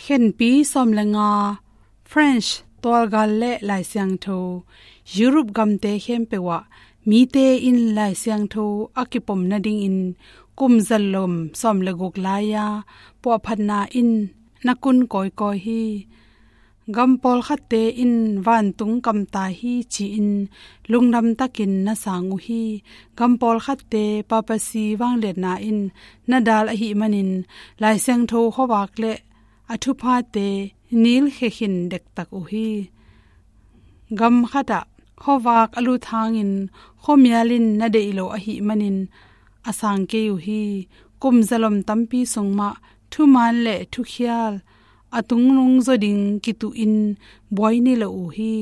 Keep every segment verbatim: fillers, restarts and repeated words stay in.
Khenpi sawm le nga, French tualgal le Lai Siangtho, Europe gamte khempeuh ah mite in Lai Siangtho a kipom nadingin kum zalom sawm le guk lai-a puahphatna in na kun kawikawi hi. Gam pawlkhatte in vantung kamta hi ci-in lungdam takin na sang uh hi. Gam pawlkhatte papacy vangliatna in na dal ahih manin Lai Siangtho khuavak le a thuphate nilkhia khin dektak uh hi. Gam khatah khuavak a lut hangin khuamial in na deih lo ahih manin a sang kei uh hi. Kum zalom tampi sung mah thuman le thukhial a tungnung zaw ding kituhin buai ni lo uh hi.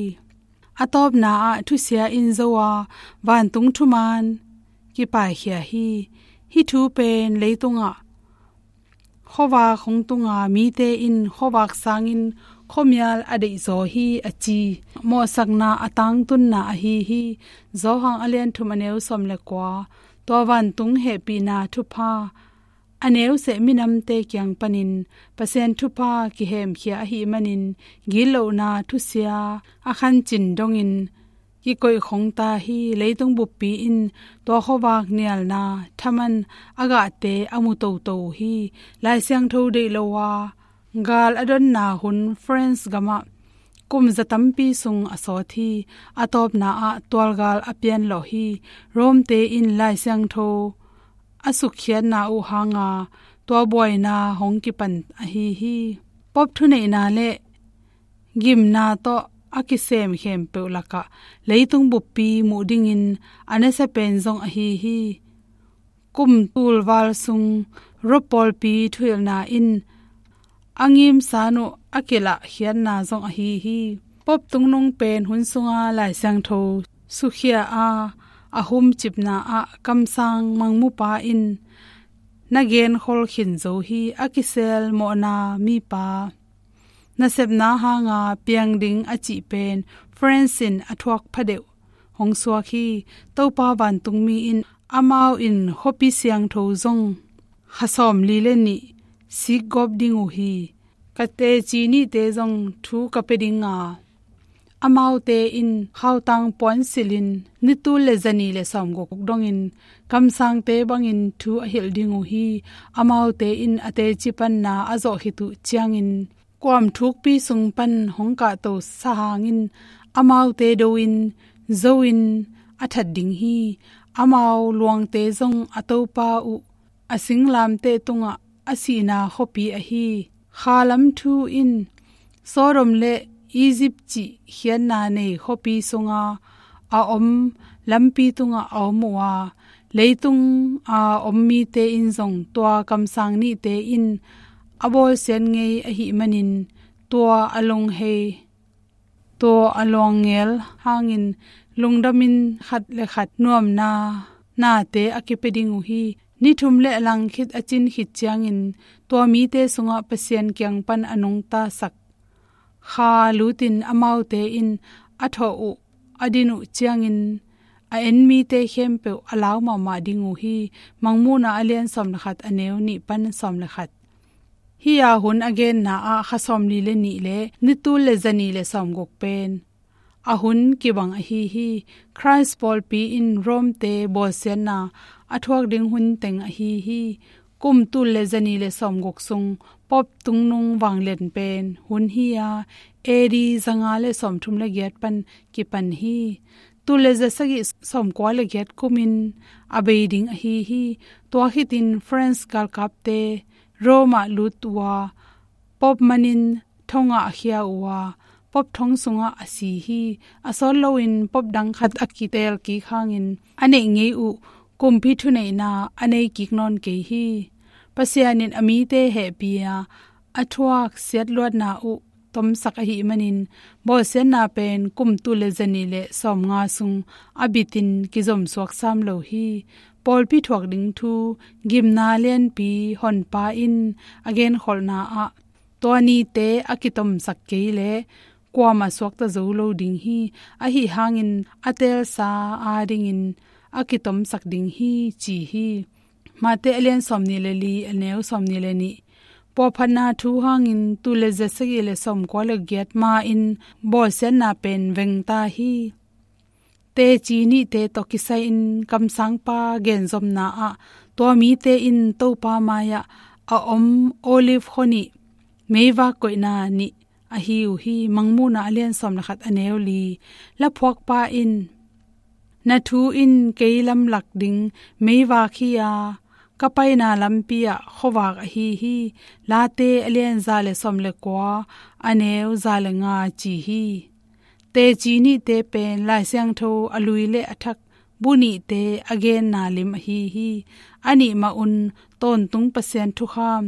A tawpna ah thusia in zo a vantung thuman kipaikhia hi. Hih thu pen leitungah khuavak hong tunga mite in khuavak sangin khuamial a deihzaw hi a ci mawhsakna a tangtunna ahi hi. Johan a lian thum a neu sawm le kua. Tua vantung hehpihna thupha a neu seh minamte kiang panin Pasian thupha kihemkhia ahih manin gitlohna thusia a khancin dongin kikoih khong ta hi. Leitung buppi in tua khuavak nialna thaman a gahte a mu toto uh hi. Lai Siangtho deih lo a gal a donna hun France gamah kum za tampi sung a sawt hi. A tawpna ah tualgal a pianlawh hi. Rome-te in Lai Siangtho a sukkhiatna uh hanga tua buaina hong kipan ahi hi. Pope thuneihna le gimna tawh a kisem khempeuh lakah leitung buppi muh dingin a nasia pen zong ahi hi. Kum tulval sung Rome pawlpi thuhilhna in a ngimsan uh a kilahkhiatna zong ahi hi. Pope tungnung pen hun sunga Lai Siangtho sukhia a a humcipna ah kamsang mangmupa in na genkhol khin zo hi. A kisel mawhna mipa nasepna hanga piang ding a cih pen France in a thuak phadeuh hong suak hi. Topa vantungmi in amau in khuapi siangtho zong kha sawmli le nih sikgawp ding uh hi. Ka teci nihte zong thu ka pia dinga amaute in khautang puan silhin nitul le zani le sawmguk dongin kamsangte bangin thu a hilh ding uh hi. Amaute in a teci panna a zawh khit uh ciangin kuam thukpi sung pan hong kahto sa hangin amaute do-in zo-in a that ding hi. Amau luangte zong a topa uh a singlamteh tungah a sihna khuapi ahi. Kha lam thu in Sodom le Egypt cih khiatna nei khuapi sunga a om lampi tungah a om uh a, leitung a om mite in zong tua kamsang nihte in a bawlsiat ngei ahih manin tua a lunghei, tua a luangnel hangin lungdamin khat le khat nuamna nate a kipia ding uh hi. Ni thum le a lang khit a cin khit ciangin tua mite sungah Pasian kiang pan a nungtasak kha lutin amaute in a thawh uh a din uh ciangin a en mite khempeuh a lau mahmah ding uh hi. Mangmuhna a lian sawm le khat a neu nih pan sawm le khat. Hih a hun a genna ah kha sawmli le nih le nitul le zani le sawmguk pen a hun kibang ahi hi. Christ pawlpi in Rome-te bawlsiatna a thuak ding hun teng ahi hi. Kum tul le zani le sawmguk sung Pope tungnung vanglian pen hun hi a, A D zanga le sawmthum le giat pan kipan hi. Tul le zasagih sawmkua le giat kumin a bei ding ahi hi. Tua khitin France galkapte Rome ah lut uh a, Pope manin thongah a khia uh a, Pope thong sungah a si hi. A sawt loin Pope dang khat a kitel kik hangin a neih ngei uh kumpi thuneihna a nei kik nawn kei hi. Pasian in a mite hehpih a, a thuak siatluatna uh tomsak ahih manin bawlsiatna pen kum tul le zani le sawmnga sung a bitin kizomsuak sam lo hi. Pawlpi thuak ding thu gimna lianpi Honpa in a genkholhna ah tua nite a kitomsak kei leh kuamah suakta zo lo ding hi. Ahi hangin a teelsa adingin a kitomsak ding hi ci hi. Mate a lian sawmnih le li a neu sawmnih le nih. pawlphatna thu hangin tul le za sagih le sawmkua le giat ma-in bawlsiatna pen vengta hi. Teci nihte tawh kisai-in kamsangpa genzomna ah tua mite in Topa mai-ah a om olive khua nih meivak koihna nih ahi uh hi. Mangmuhna a lian sawm le khat a neu li. Laphuakpa in, "Na thu in kei lamlak ding meivak hi a, ka paina lampi ah khuavak ahi hi. Late a lian za le sawm le kua a neu za le nga ci hi." Teci nihte pen Lai Siangtho a lui le a thak bu nihte a genna lim ahi hi. A nih mah un tawntung Pasian thukham,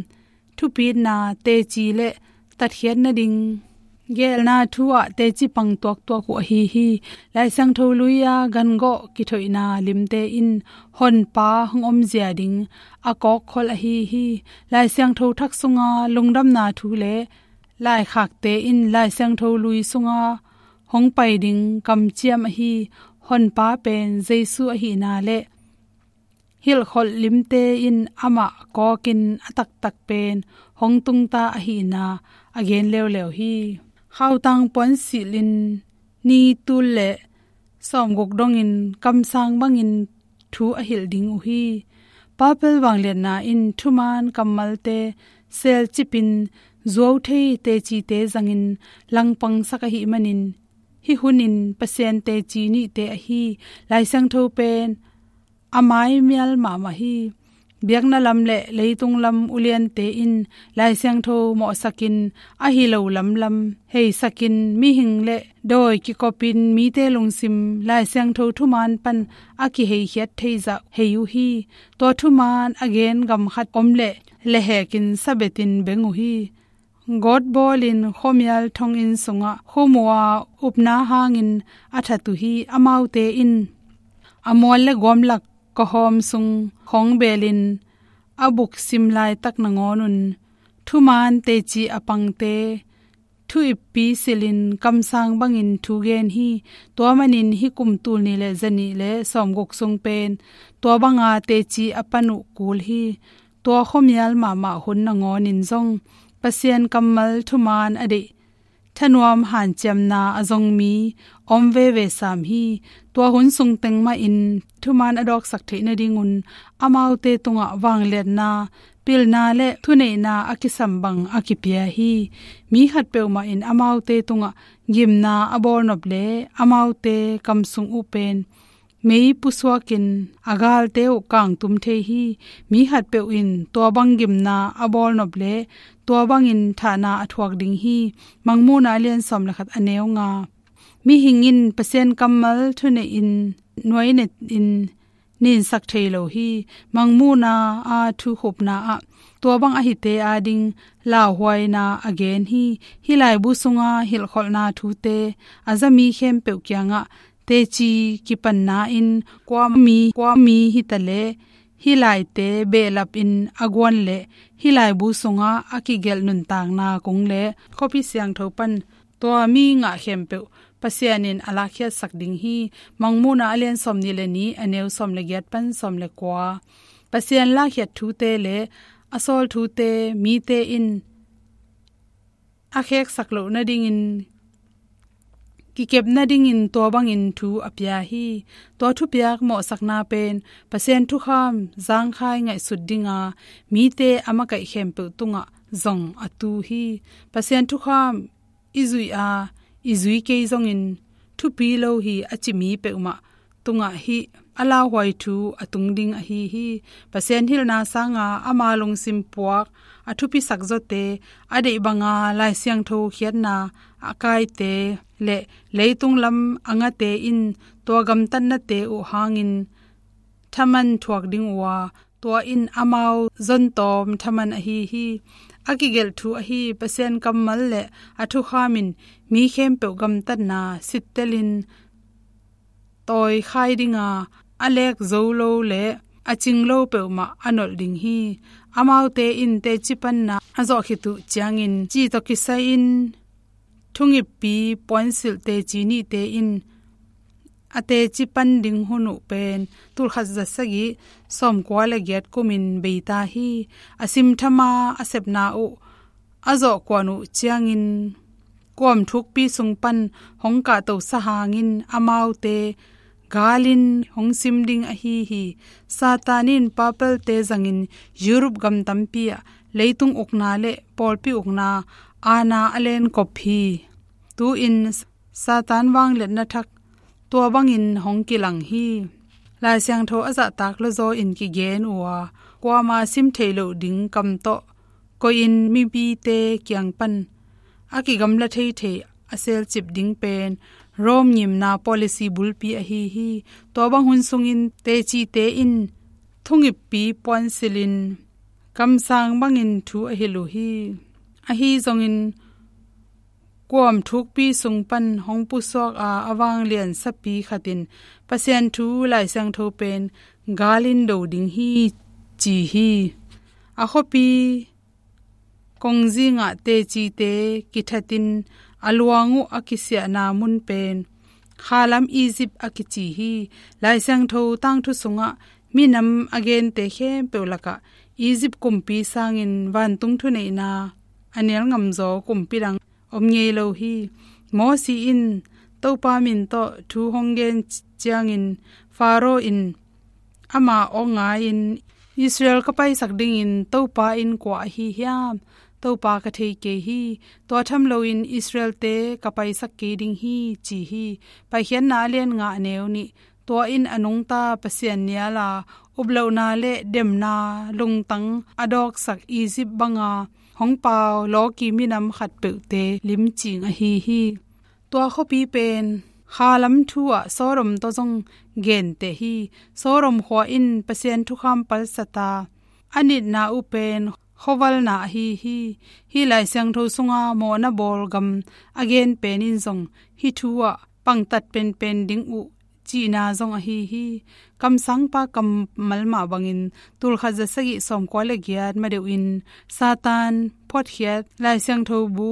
thupitna, teci le tatkhiat nading geelna thu ah teci pang tuaktuak uh ahi hi. Lai Siangtho lui-a gangawh kithoihna limte in Honpa hong omzia ding a kawkkhol ahi hi. Lai Siangtho thak sunga lungdamna thu le laikhakte in Lai Siangtho lui sunga hong pai ding kamciam ahi Honpa pen Jesu ahihna le hilhkholh limte in amah kawkin a taktak pen hong tungta ahihna a gen leuleu hi. Khautang puan silhin ni tul le sawmguk dongin kamsang bangin thu a hilh ding uh hi. Papal vangliatna in thuman kammalte selcipin zuauthei tecite zangin langpangsak ahih manin, hih hunin Pasian teci nihte ahi Lai Siangtho pen a maimial mahmah hi. Biakna lam le leitung lam uliante in Lai Siangtho mawhsakin, ahi lo lamlam heisakin, mihing le dawi kikopin mite lungsim Lai Siangtho thuman pan a kiheikhiat theizah hei uh hi. Tua thuman a gen gam khat om le lehekin sabetin beng uh hi. Gawt bawlin khuamial thonginn sungah khum uh a, upna hangin a that uh hi. Amaute in a mual le guamlak kawhawm sung khawng belin a buksim laitak nangawnun thuman teci a pangte thu ippi silhin kamsang bangin thu gen hi. Tua manin hih kum tul nih le zanih le sawmguk sung pen tua banga teci a pan uh kul hi. Tua khuamial mahmah hun nangawnin zong Pasian kammal thuman a deih, thanuam hanciamna a zong mi om veve sam hi. Tua hun sung teng mahin thuman a dawksak theih nadingun amaute tungah vangliatna, pilna le thuneihna a kisam bang a kipia hi. Mi khat peuhmah in amaute tungah gimna a bawlnop le amaute kamsung uh pen mei pusuakin a galte uh kangtum thei hi. Mi khatpeuh in tua bang gimna a bawlnop le tua bangin thahna a thuak ding hi. Mangmuhna a lian sawm le khat a neu nga. Mihing in Pasian kammal thuneihin nuainetin ninsak thei lo hi. Mangmuhna a thukhupna ah tua bang a hite ading lauhuaina a gen hi. Hih laibu sunga hilhkholhna thute a zami khempeuh kiangah teci kipanna in kua mi, kua mi hitaleh hih laite behlapin a guan le hih laibu sungah a kigelh nuntakna kong le khuapi siangtho pan tua mi ngah khempeuh Pasian in a lakkhiatsak ding hi. Mangmuhna a lian sawm nih le nih a neu sawm le giat pan sawm le kua. Pasian lakkhiat thute le a sawl thute mite in a kheksak loh nadingin, kikep nadingin tua bangin thu a pia hi. Tua thupiak mawhsakna pen Pasian thukham zangkhai ngaihsut dinga mite a makaih khempeuh tungah zong a tu hi. Pasian thukham i zuih a i zui kei zongin thupi lo hi a ci mi peuhmah tungah hih a lauhuai thu a tung ding ahi hi. Pasian hilhna sanga ama lungsim puak a thupisak zawte, a deih banga Lai Siangtho khiatna a kaite le leitung lam a ngate in tua gamtatnate uh hangin thaman thuak ding uh a, tua in amau zontawm thaman ahi hi. A kigelh thu ahi Pasian kammal le a thukham in mi khempeuh gamtatna sittelin tawikhai dinga, a lek zo lo le a cing lo peuhmah a nolh ding hi. Amaute in teci panna a zawh khit uh ciangin cih tawh kisai-in thungippi puansilh teci nihte in a teci pan ding hun uh pen tulkhat za sagih sawmkua le giat kumin beita hi. A simthama a sepna uh a zawh kuan uh ciangin kuam thukpi sung pan hong kahtosa hangin amaute galin hong sim ding ahi hi. Satan in papalte zangin Europe gam tampi ah leitung ukna le pawlpi ukna aana a lenkop hi. Tu-in Satan vangliatna thak tua bangin hong kilang hi. Lai Siangtho a zahtak lawzaw in kigen uh a, kuama sim theih loh ding kam tawh koihin mipite kiang pan a kigamla theithei a selcip ding pen Rome ngimna policy bulpi ahi hi. Tua bang hun sungin tecite in thungippi puansilhin kamsang bangin thu a hilh uh hi. Ahi zongin kuam thukpi sung pan hong pusuak a, a vanglian sapi khat in Pasian thu Lai Siangtho pen galin do ding hi ci hi. A khuapi kongzingah tecite kithatin a luang uh a kisiahna mun pen khalam Egypt a kici hi. Lai Siangtho tangthu sungah minam a gente khempeuh lakah Egypt kumpi sangin vantung thuneihna a nial ngamzaw kumpi dang om ngei lo hi. Moses in Topa min tawh thu hong gen ciangin Pharaoh in ama awk ngai-in, "Israel ka paisak dingin Topa in kua ahi hiam? Topa ka thei kei hi. Tua tham loin Israelte ka paisak kei ding hi," ci hi. Paikhiatna a lian nga a neu nih. Tua in a nungta Pasian nial a, uplohna le demna lungtang a dawksak Egypt banga hong pau lawki minam khatpeuhte limcing ahi hi. Tua khuapi pen khalam thu ah Sodom tawh zong genteh hi. Sodom khua in Pasian thukham palsat a, a nitna uh pen khuavalna ahi hi. Hih Lai Siangtho sunga mawhna bawl gam a gen pen in zong hih thu ah pangtat penpen ding uh cihna zong ahi hi. Kamsangpa kammal mah bangin tulkhat za sagih sawmkua le giat madeuhin Satan phuatkhiat Lai Siangtho bu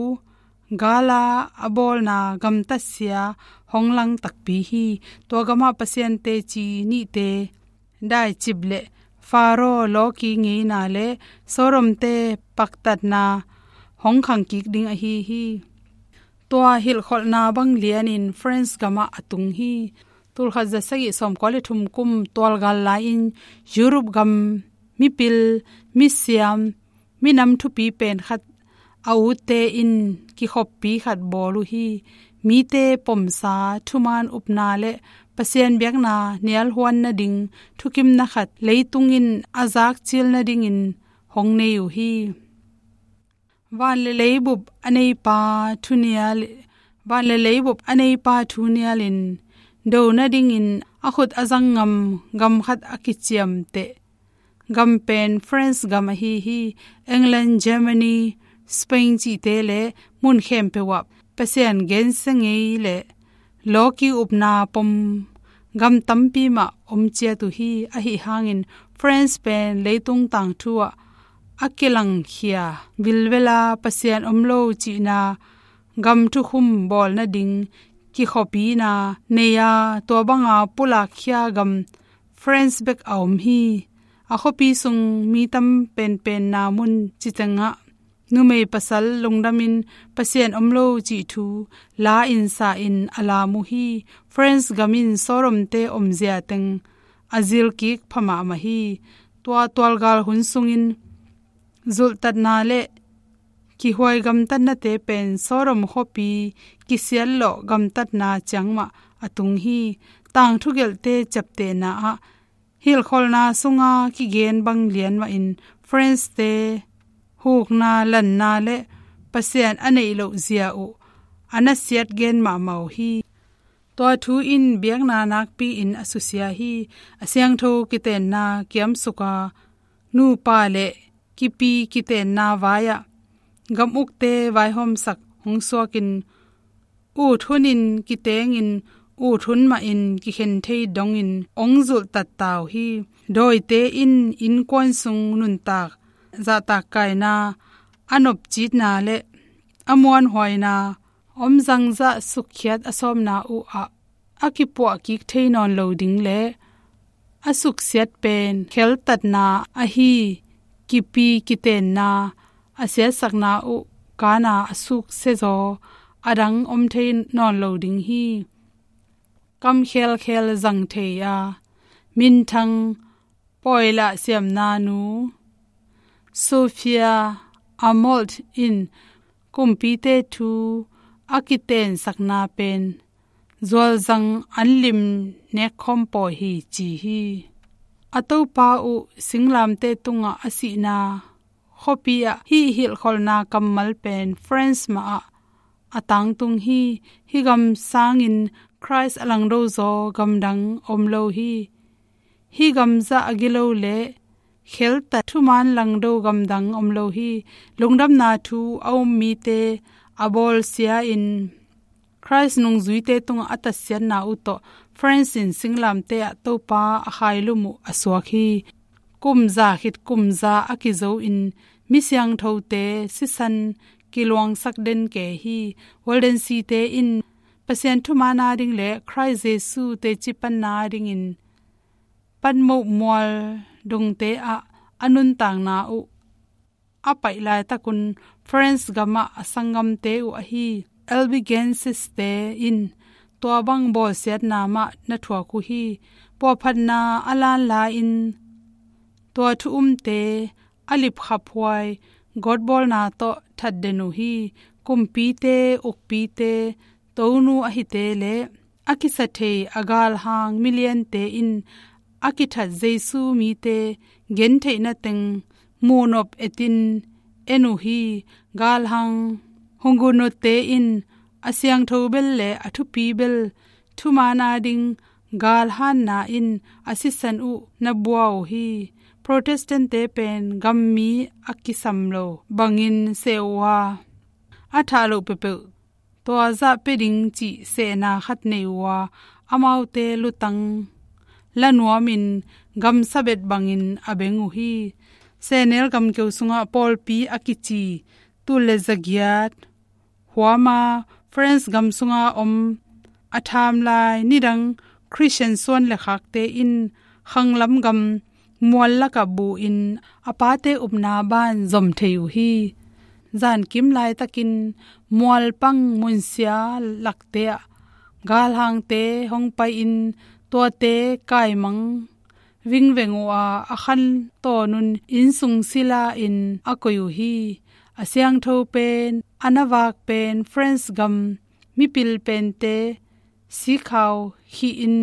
gala a bawlna gamtatsia hong lang takpi hi. Tua gamah Pasian teci nihte daicip le Pharaoh lawki ngeina le Sodomte paktatna hong khangkik ding ahi hi. Tua hilhkholhna bang lianin France gamah a tung hi. Tulkhat za sagih sawmkua le thum kum tualgal lai-in Europe gam mipil, misiam, minam thupi pen khat a utte in kikhoppi khat bawl uh hi. Mite pomsa, thuman upna le Pasian biakna nialhuan nading thukimna khat leitung in a zakcil nadingin hong nei uh hi. Van le leibup a neipa thu nial, van le leibup a neipa thu nialin do nadingin a khut a zang ngam gam khat a kiciamteh gam pen France gam ahi hi. England, Germany, Spain cihte le mun khempeuh ah Pasian gensia ngei le lawki upna pom gam tampi mah om ciat uh hi. Ahi hangin France pen leitung tangthu ah a kilangkhia vilvela Pasian om lo cihna gam thukhum bawl nading kikhoppina nei a, tua banga pulakkhia gam France bek a om hi. A khuapi sung mi tam penpenna mun citengah numei pasal lungdamin Pasian om lo cih thu la in sa in a lam uh hi. France gam in Sodomte omzia teng a zilkik pha mahmah hi. Tua tualgal hun sungin zulhtatna le kihuai gamtatnate pen Sodom khuapi kisiatlawh gamtatna ciangmah a tung hi. Tangthugelhte ciaptehna ah hilhkholhna sunga kigen bang lian mahin France-te hukna, lanna le Pasian a neih loh zia uh a nasiat gen mahmah uh hi. Tua thu in biakna nakpi-in a susia hi. A siangtho kitenna kiamsuka nupa le kipi kitenna vai-ah gam ukte vaihawmsak hong suakin ut hunin kitengin ut hun mahin kikhen thei dongin hong zulhtatta uh hi. Dawite in innkuan sung nuntak zahtakkaina, a nopcitna le a muanhuaina om zangzah sukkhiat a sawmna uh ah a kipuah kik thei nawn lo ding le a suksiat pen kheltatna ahi kipi kitenna a siatsakna uh kana a suksia zaw a dang om thei nawn lo ding hi. Kam khelkhel zang thei a, minthang pawilah siamna nu Sophia Aamodt in kumpite thu a kitensakna pen zualzang an lim nekkhawm pawi hi ci hi. A topa uh singlamteh tungah a sihna khuapi ah hih hilhkholhna kammal pen France mah ah a tangtung hi. Hih gam sangin Christ a langdo zaw gamdang om lo hi. Hih gamzah a gilo le kheltat thuman langdo gamdang om lo hi. Lungdamna thu a um mite a bawlsia in Christ nungzuite tungah a tatsiatna uh tawh France in singlamteh ah Topa a khailum uh a suak hi. Kumza khit kumza a kizo in mi siangthote sisan kiluangsak den ke hi. Waldensi-te in Pasian thuman a ding le Christ Jesu teci panna a dingin Patmos mual dongte ah a nuntakna uh a paih laitakun France gamah a sanggamte uh ahi Albigensis-te in tua bang bawlsiatna mah na thuak uh hi. Puahphatna a lanla in tua thu umte a lipkhaphuai gawtbawlna tawh thatden uh hi. Kumpite, ukpite, tonu ahite le a kisa thei a galhang miliante in a kithat Jesu mite gentheihna teng muhnop etin en uh hi. Galhang Huguenot-te in a siangtho bel le a thupi bel thuman a ding galhanna in a sisan uh na bua uh hi. Protestant-te pen gammi a kisam lo bangin seh uh a, a thah loh peuhpeuh tua zah pia ding cih sehna khat nei uh a, amaute lutang la nuamin gamsabet bangin a beng uh hi. Sehnel gamkeu sungah pawlpi a kici tul le zagiat huama France gam sunga om a thamlai nidang Christian suan le khakte in khanglam gam mual lakah bu in a pate upna ban zom thei uh hi. Zankim laitakin mualpang munsia lakte ah galhangte hong pai in tuate kaimang vingveng uh a, a khan tawnun innsung sila in a koih uh hi. A siangtho pen a na vak pen France gam mipil pente sikhau khih in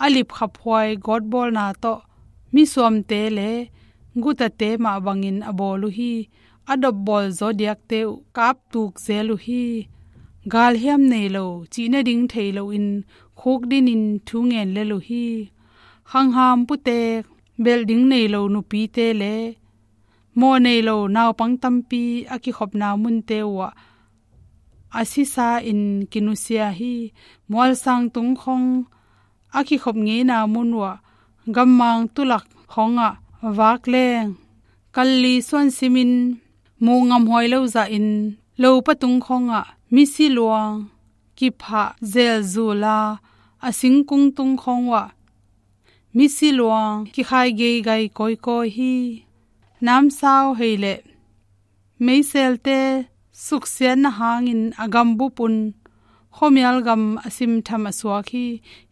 a lipkhaphuai gawtbawlna tawh misuamte le gutate mah bangin a bawl uh hi. A dopbawl zawdiakte uh kaptuk zel uh hi. Galhiam nei lo, cihna ding thei loin khukdinin thu ngen lel uh hi. Khangham putek belh ding nei lo nupite le mawh nei lo naupang tampi a kikhopna munte uhah a sisa in kinusia hi. Mualsang tungkhong a kikhop ngeina mun uhah gammang tulak khongah vak leng kalli suansimin muh ngamhuai lo zahin lopa tungkhongah misi luang kiphah zelzula a singkung tungkhong uhah misi luang kikhai geigai kawikawi hi. Namsau hei le meiselte suksiatna hangin a gambup un khuamial gam a simtham a suak hi.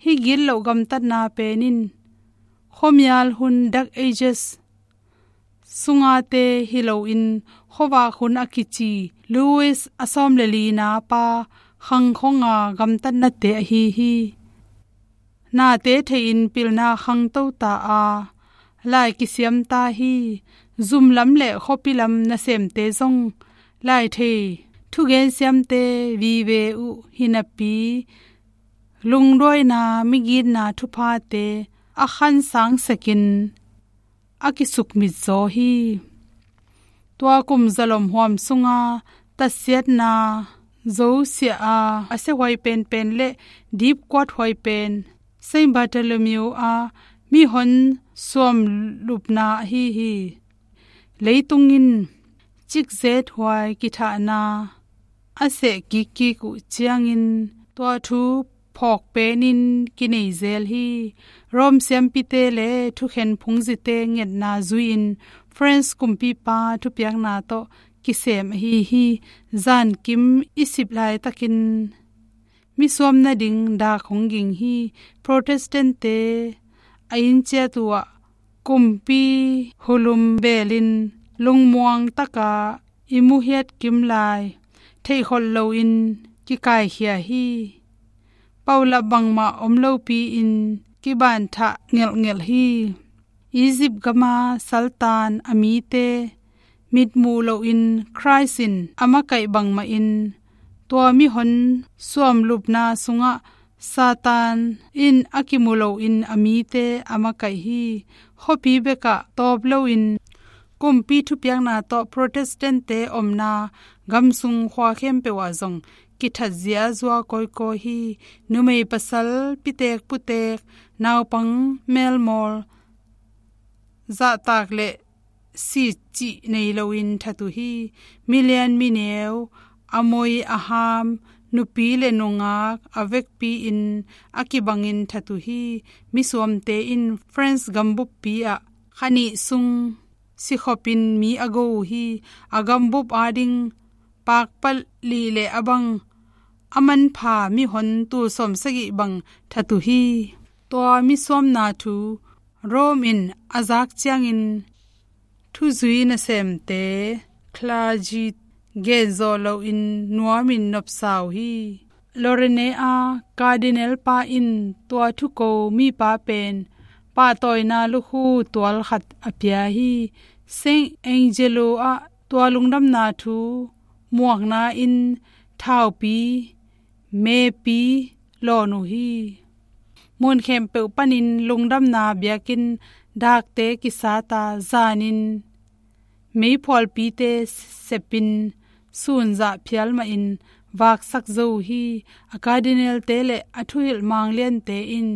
Hih gitloh gamtatna pen in khuamial hun Dark Ages sungate hi loin khuavak hun a kici Louis a sawm le lina pa khangkhonga gamtatnate ahi hi. Nate thei-in pilna khangto ta a, lai kisiam ta hi. Zumlam le khuapi lam nasemte zong lai thei thugen siamte vive uh hinapi lungduaina migitna thuphate a khansang sekin a kisukmit zaw hi. Tua kum zalom huam sunga tatsiatna zosiah a a siahuai penpen le dipkuat huai pen Saint Bartholomew a mihon suam lupna ahi hi. Leitung in cikzet huai kithahna a seh kikkik uh ciangin tua thu phawk penin kinei zel hi. Rome siampite le thukhen phungzite ngetna zui-in France kumpipa thupiakna tawh kisem ahi hi. Zankim i sip laitakin misuam nading dak hong ging hi. Protestant-te a inn ciat uhah kumpi hulum belin lungmuang taka i muhiat kim lai theihkholh loin kikaikhia hi. Paulap bangmah om lopi-in kibanthah ngelhngelh hi. Egypt gama saltan a mite mitmuh loin Christ in a makaih bangmahin tua mihon suamlupna sungah Satan in a kimu loin a mite a makaih hi. Khuapi bekah tawp loin kumpi thupiakna tawh Protestant-te omna gamsung khua khempeuh ah zong kithat ziazua kawikawi hi. Numei pasal, pitek putek, naupang melmawl, zahtak le sicih nei loin that uh hi. Milian mineu, a moi a ham, nupi le nungak a vekpi-in a kibangin that uh hi. Misuamte in France gambuppi ah kha nih sung sikhopin mi a go uh hi. A gambup ading pakpalih le a bang a manpha mihon tul sawmsagih bang that uh hi. Tua misuamna thu Rome in a zak ciangin thuzui nasemte, clergy, genzawh loin nuamin nopsa uh hi. Lorraine a Cardinal pa in tua thuko mipa pen pahtawina lukhu tual khat a pia hi. Saint Angelo ah tua lungdamna thu muakna in thaupi, mepi lawn uh hi. Mun khempeuh panin lungdamna biakinn dakte kisata zanin meiphualpite sepin sunzah phial mahin vaksak zo uh hi. A Cardinal-te le a thuhilh mangliante in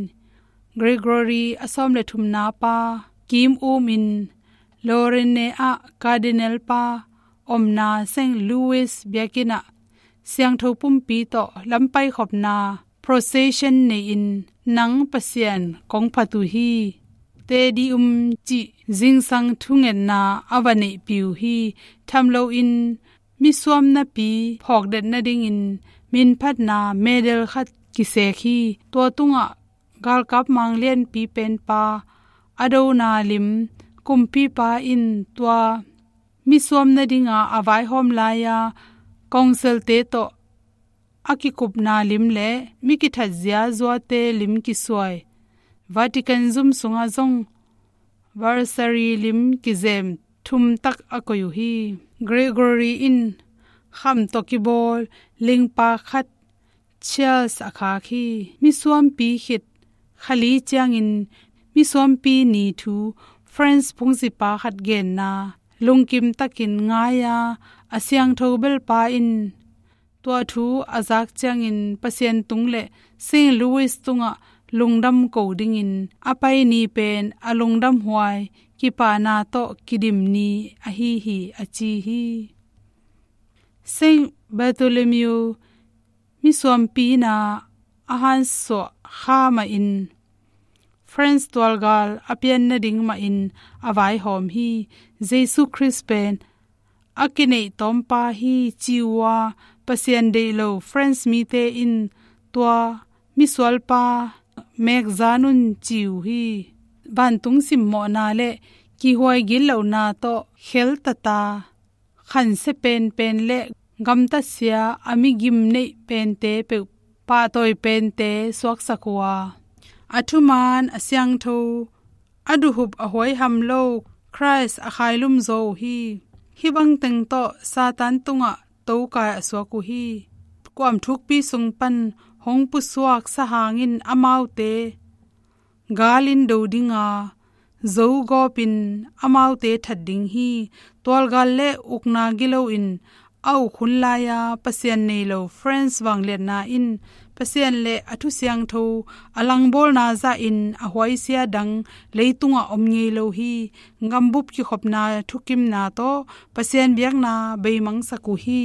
Gregory a sawm le thumna pa kim umin Lorraine ah Cardinal pa omna Saint Louis biakinn ah siangtho pumpi tawh lampaikhopna procession nei-in nang Pasian kong phat uh hi, Te Deum cih zingsang thungetna a va neihpih uh hi. Tham loin misuam napi phawkdet nadingin minphatna medal khat kisek hi. Tua tungah galkap manglianpi penpa a dona lim, kumpipa in tua misuam nadinga a vaihawm lai-a council-te tawh a kikupna lim le mi kithat ziazuate lim kisuai Vatican zum sungah zong Versailles lim kizem thumtak a koih uh hi. Gregory in kham tawh kibawl lingpa khat Charles a khak hi. Misuampi khit kha li ciangin misuampi ni thu France phungzipa khat genna lungkim takin ngai-a, a siangtho belpa in tua thu a zak ciangin Pasian tung le Saint Louis tungah lungdam ko dingin a pai ni pen a lungdamhuai kipahna tawh kidim ni ahi hi, a ci hi. Saint Bartholomew misuampi na a hansuah kha mahin France tualgal a pian nading mahin a vaihawm hi. Jesu Khrist pen a kineih tawmpa hi ci uh a, Pasian deih lo France mite in tua misualpa mekzan un ci uh hi. Vantung simmawhna le kihhuai gitlohna tawh kheltata khansia penpen le gamtatsia a migim neih pente peuh pahtawi pente suaksak uh a, a thuman a siangtho, a duhhup a huaiham lo Khrist a khailum zaw uh hi. Hih bangteng tawh Satan tungah tokai a suak uh hi. Kuam thukpi sung pan hong pusuak sahang in amaute galin do dinga, zogawpin amaute that ding hi. Tualgal le ukna gilo in a uk hun lai-a Pasian nei lo France vangliatna in Pasian le a thusiangtho a langbawlna zahin a huaisia dang leitungah om ngei lo hi. Gambup kikhopna thukimna tawh Pasian biakna beimangsak uh hi.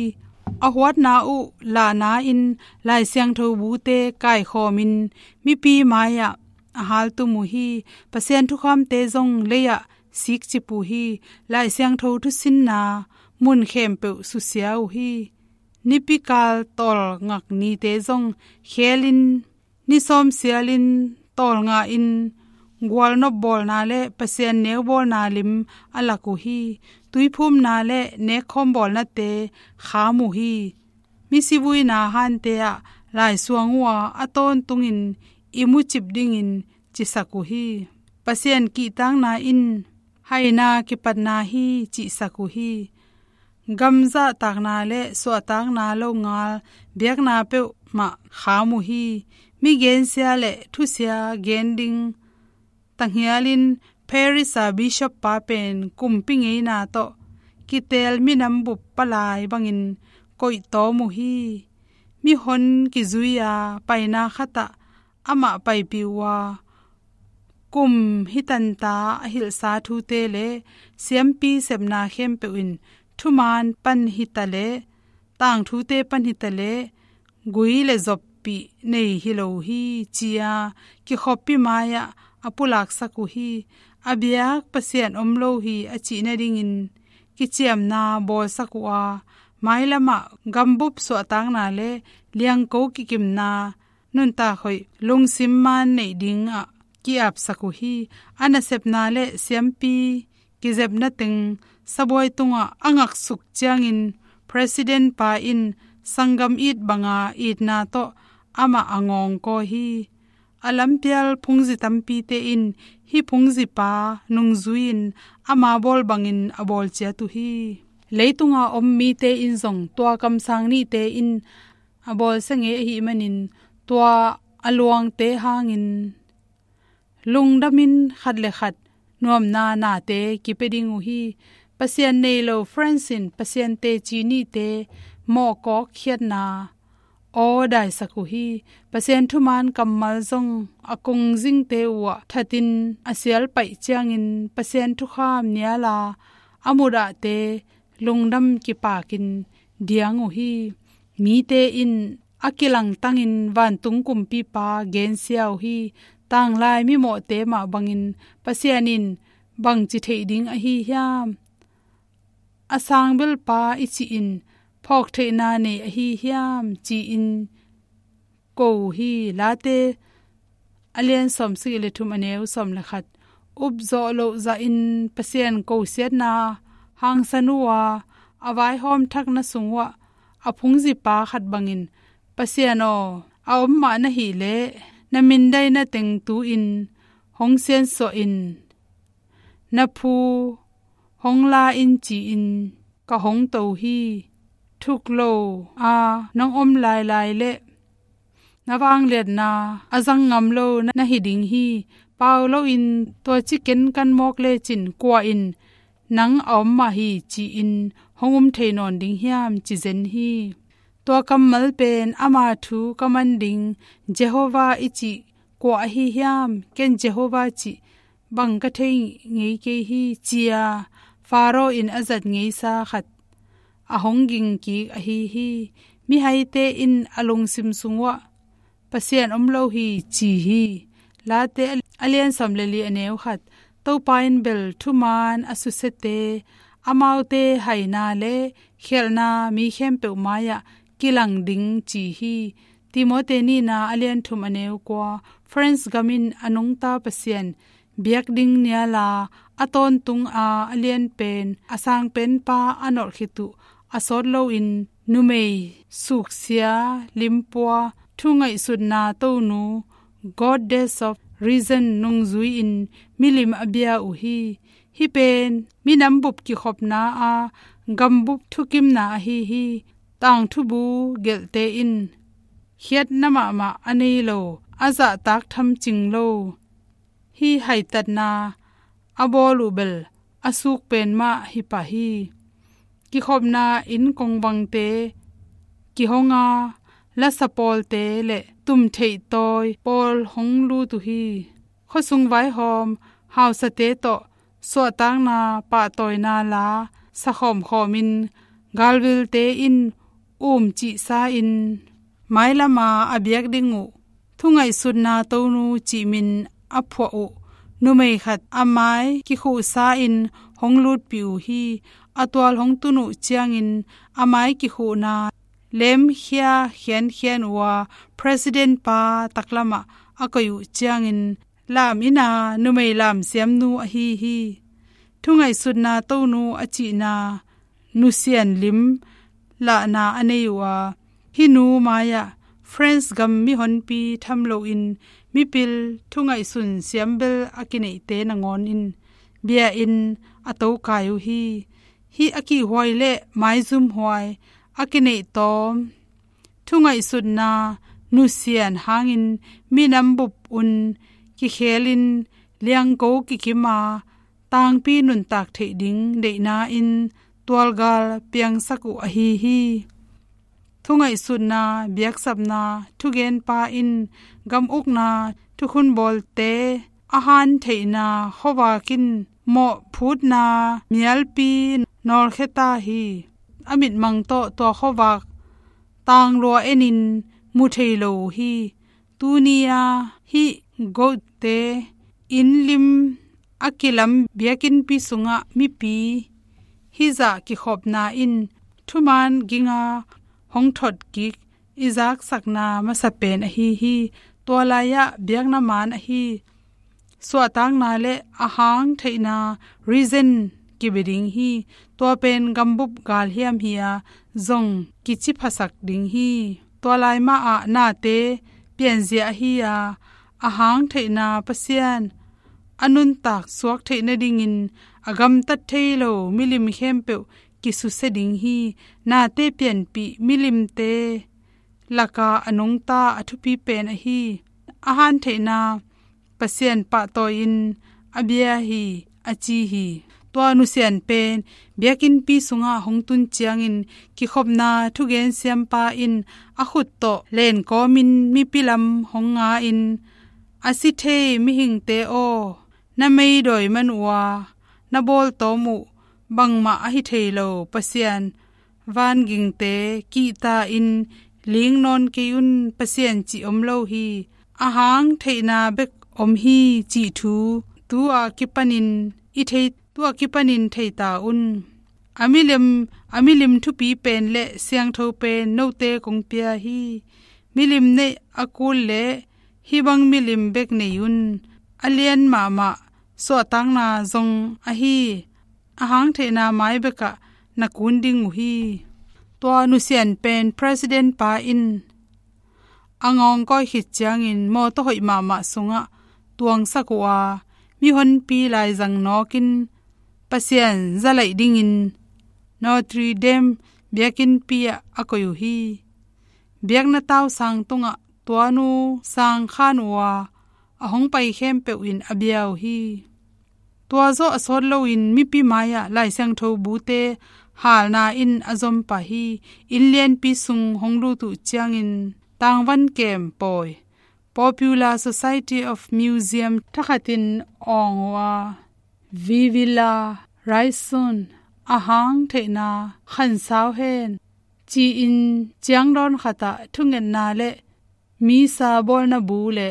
A huatna uh lahna-in Lai Siangtho bute kaikhawmin mipi mai-ah a haltum uh hi. Pasian thukhamte zong lei-ah sikcip uh hi. Lai Siangtho thusinna mun khempeuh susia uh hi. Nipikal tawlngak nite zong khelin, ni sawm sialin tawlnga-in gualnop bawlna le Pasian neubawlna lim a lak uh hi. Tuiphumna le nekkhawm bawlnate kham uh hi. Misivuina hante ah laisuang uh a, a tawntungin i mucip dingin cisak uh hi. Pasian kihtakna in haina kipatna hi, cihsak uh hi. Gam zahtakna le suahtakna longal biakna peuhmah kham uh hi. Mi gensia le thusia gen ding tanghialin Paris a bishop pa pen kumpi ngeina tawh kitel minam bup palai bangin koihtawm uh hi. Mihon kizui-a paina khatah amah paipih uh a, kum hitanta a hilhsa thute le siampi sepna khempeuh in thuman pan hita le, tangthute pan hita le, gui le zoppih nei hi lo hi, ci-a kikhoppi mai-ah a pulaksak uh hi. A biak Pasian om lo hi a cih nadingin kiciamna bawlsak uh a, mailamah gambup suahtakna le liangko kikimna nuntak hoih lungsim man neih dingah ki-apsak uh hi. A nasepna le siampi kizepna teng sabuai tungah a ngaksuk ciangin president pa in sanggam it banga itna tawh amah a ngawngkaw hi. A lampial phungzi tampite in hih phungzipa nungzui-in ama bawl bangin a bawl ciat uh hi. Leitunga om mite in zong tua kamsang nihte in a bawlsia ngei ahih manin tua a luangte hangin lungdamin khat le khat nuamna nate kipia ding uh hi. Pasian nei lo French in Pasian teci nihte mawhkawk khiatna aw daisak uh hi. Pasian thuman kammal zong a kongzingte uhah thatin a sialpaih ciangin Pasian thukham niala a mudahte lungdam kipakin diang uh hi. Mite in a kilangtangin vantung kumpipa gensia uh hi. Tanglai mimawhte mah bangin Pasian in bangci theih ding ahi hiam? A sangbelpa i cihin phawktheihna nei ahi hiam? Ci-in ko uh hi. Late a lian sawmsagih le thum, a neu sawm le khat. Upzawh loh zahin Pasian kosiatna hangsan uh a, a vaihawm thakna sung uhah a phungzipa khat bangin, Pasian aw, a om mah na hih leh na mindaina teng tu-in hong siansuah in, na phu hong la in ci-in ka hong to hi. Thuk lo a nong om lailai leh na vangliatna a zang ngam lo na hi ding hi. Pau loin tua ci kenkan mawk lecin kua in nang a om mah hi ci-in hong um thei nawn ding hiam, ci zen hi. Tua kammal pen ama thu ka man ding Jehovah i cih kua ahi hiam? Ken Jehovah cih bang ka thei ngei kei hi, ci-a Pharaoh in a zat ngeisa khat a hong ging kik ahi hi. Mihaite in a lungsim sung uhah Pasian om lo hi, ci hi. Late a lian sawm le li, a neu khat. Topa in bel thuman a susiate, amaute haina le khialhna mi khempeuh mai-ah kilang ding, ci hi. Timote nihna a lian thum, a neu kua. France gam in a nungta Pasian biak ding niala a tawntung a, a lianpen a sangpenpa a nolh khit uh a sawt loin numei suksia limpua, thu ngaihsutna tonu, goddess of reason nungzui-in milim a bia uh hi. Hih pen minam bup kikhopna a gambup thukimna ahi hi. Tangthubu gelhte in khiatna mahmah a nei lo, a zahtak thamcing lo hih haitatna a bawl uh bel a suk pen mah hi pah hi. Kikhopna inn kongvangte kihong a, lasa pawlte le tumtheih tawi pawl hong lut uh hi. Khuasung vaihawm hausate tawh suahtakna pahtawina la sakhawmkhawmin galvilte in um cihsa-in mailama a biak ding uh thungaihsutna tonu cih min a phuah uh numei khat a mai kikhuhsa in hong lutpih uh hi. A tual hong tun uh ciangin a mai kikhuhna lemkhia khiankhian uh a, president pa taklamah a koih uh ciangin lam ina numei lamsiamnu ahi hi. Thungaihsutna tonu a cihna nusian lim lahna a nei uh a, hih nu mai-ah France gam mihonpi tham loin mipil thungaihsun siambel a kineihte nangawn in bia in a tokai uh hi. Hih a kihhuai le maizumhuai a kineih tawm thungaihsutna nusian hangin minam bup un kikhelin liangko kikima tangpi nuntak theih ding deihna in tualgal piangsak uh ahi hi. Thungaihsutna biaksapna thugenpa in gam ukna thukhun bawlte a hantheihna khuavak in mawhphutna mialpi nawlkhia ta hi. A mitmang tawh tua khuavak tanglua enin mu thei lo uh hi. Tuni-a hih goatte inn lim a kilam biakinnpi sungah mipi hizah kikhopna in thuman ginga hong thot kik i zaksakna masa pen ahi hi. Tua lai-ah biakna man ahi suahtakna le a hang theihna reason kibia ding hi. Tua pen gambup galhiam hi-a zong kiciphasak ding hi. Tua lai mah ah nate pianzia ahi-a a hang theihna Pasian a nuntak suak theih nadingin a gamtat thei lo milim khempeuh kisusia ding hi. Nate pianpih milimte laka a nungta a thupi pen ahi a hantheihna Pasian pahtawi-in a bia hi, a ci hi. Tua nusian pen biakinnpi sungah hong tun ciangin kikhopna thugen siampa in a khut tawh lenkawmin mipi lam hong nga-in a si thei mihingte aw, na meidawi man uh a na bawltawm uh bangmah ahi thei lo Pasian vangingte kihta-in ling nawn kei un. Pasian cih om lo hi. A hang theihna bek om hi cih thu tu-a kipanin i thei, tu-a kipanin thei ta un. A milim, a milim thupi pen le siangtho pen note kong pia hi. Milim neih a kul le hih bang milim bek nei un. A lian mahmah suahtakna zong ahi a hang theihna mai bekah na kun ding uh hi. Tua nusian pen president pa in a ngawngkawi khit ciangin mawtaw hoih mahmah sungah tuangsak uh a, mihonpi laizang nawkin Pasian zalaih dingin Notre Dame biakinnpi ah a koih uh hi. Biakna tausang tungah tuanu sang khan uh a, a hong pai khempeuh in a bia uh hi. Tua zawh a sawt loin mipi mai-ah Lai Siangtho bute halna in a zom pah hi. Inn lianpi sung hong lut uh ciangin tangvan kem pawi Popular Society of Museum thakhatin awng uh a, Vivula Raison, a hang theihna khansau hen, ci-in ciangdawn khatah thungetna le misa bawlna bu le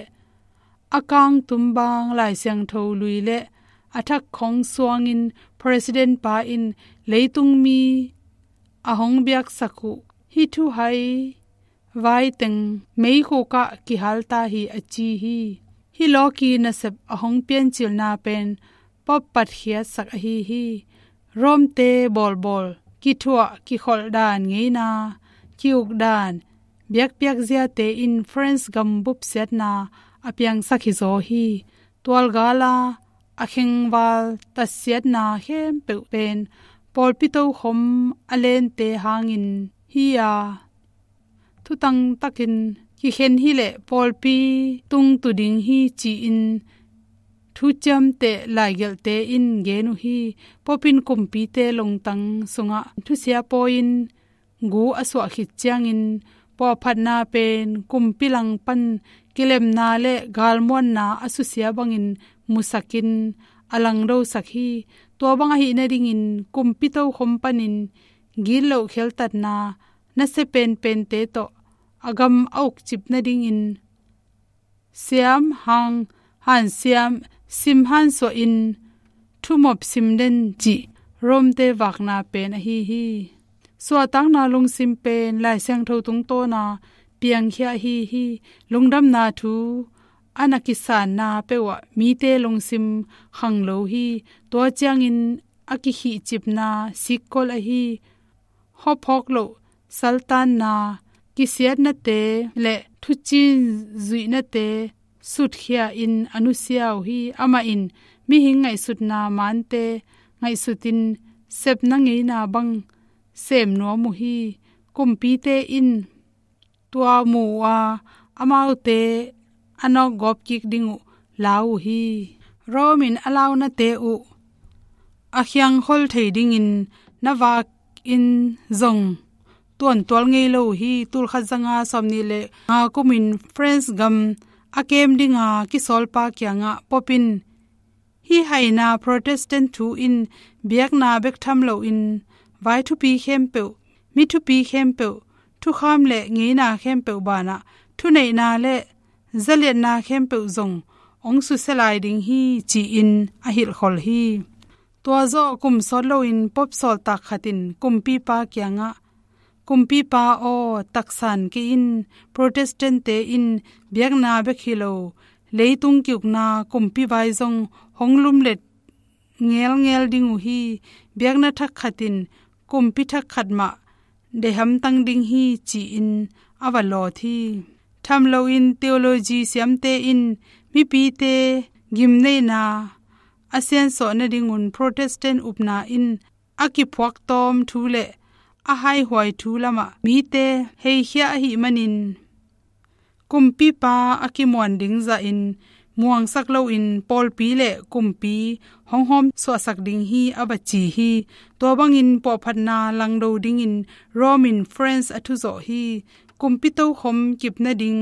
a kangtum bang Lai Siangtho lui le a thak khong suangin president pa in leitung mi a hong biaksak uh hih thuhai vaiteng meikhukah kihal ta hi, a ci hi. Hih lawki nasep a hong piancilna pen Pope patkhiatsak ahi hi. Rome-te bawlbawl, kithuah kikholh dan ngeina, ki-uk dan, biakpiak ziate in France gambup siatna a piangsak hizaw hi. Tualgala a khengval tatsiatna khempeuh pen pawlpi tokhom a lente hangin hi-a, thutang takin kikhen hileh pawlpi tungtu ding hi ci-in thuciamteh laigelhte in gen uh hi. Pope in kumpite lungtang sungah thusia pawi-in gu a suah khit ciangin puahphatna pen kumpi langpan kilemna le galmuanna a susia bangin musakin a langdosak hi. Tua bang ahih nadingin kumpi tokhom panin gitloh kheltatna nasia penpente tawh a gam a ukcip nadingin siam hang hansiam, sim hansuahin thumop sim den cih Rome-te vakna pen ahi hi. Suahtakna lungsim pen Lai Siangtho tungtawna piangkhia ahi hi. Lungdamna thu a na kisanna peuhah mite lungsim khang lo hi. Tua ciangin a kikhihcipna sikkol ahi, hawphawk loh saltanna, kisiatnate le thucin zuihnate sutkhia in a nusia uh hi. Amah in mihing ngaihsutna mante ngaihsutin sepna ngeina bang sem nuam uh hi. Kumpite in tua mu uh a, amaute a nawkgawp kik ding uh lau uh hi. Rome in a launate uh a khiangkhol thei dingin na vakin zong tuantual ngei lo uh hi. Tulkhat zanga sawmnih le nga kumin France gam a kem dinga kisawlpa kiangah Pope in, "Hih haina Protestant thu in biakna bek tham loin vai thupi khempeuh, mi thupi khempeuh, thukham le ngeina khempeuh banah thuneihna le zaliatna khempeuh zong hong susia lai ding hi," ci-in a hilhkhol hi. Tua zawh kum sawt loin Pope sawltak khat in kumpipa kiangah, "Kumpipa aw, taksan kei in. Protestant-te in biakna bek hi lo, leitung kiukna kumpi vai zong hong lumlet ngelngel ding uh hi. Biakna thak khat in kumpi thak khat mah deih hamtang ding hi," ci-in a va lawt hi. Tham loin theology siamte in mipite gimneihna a siansuah nadingun Protestant upna in a kiphuaktawm thu le a haihuai thu lamah mite heikhia ahih manin, kumpipa a kimuan ding zahin muangsak loin pawlpi le kumpi hong hawmsuahsak ding hi, a va ci hi. Tua bangin puahphatna langdo dingin Rome in France a thuzawh hi. Kumpi tokhom kip nading,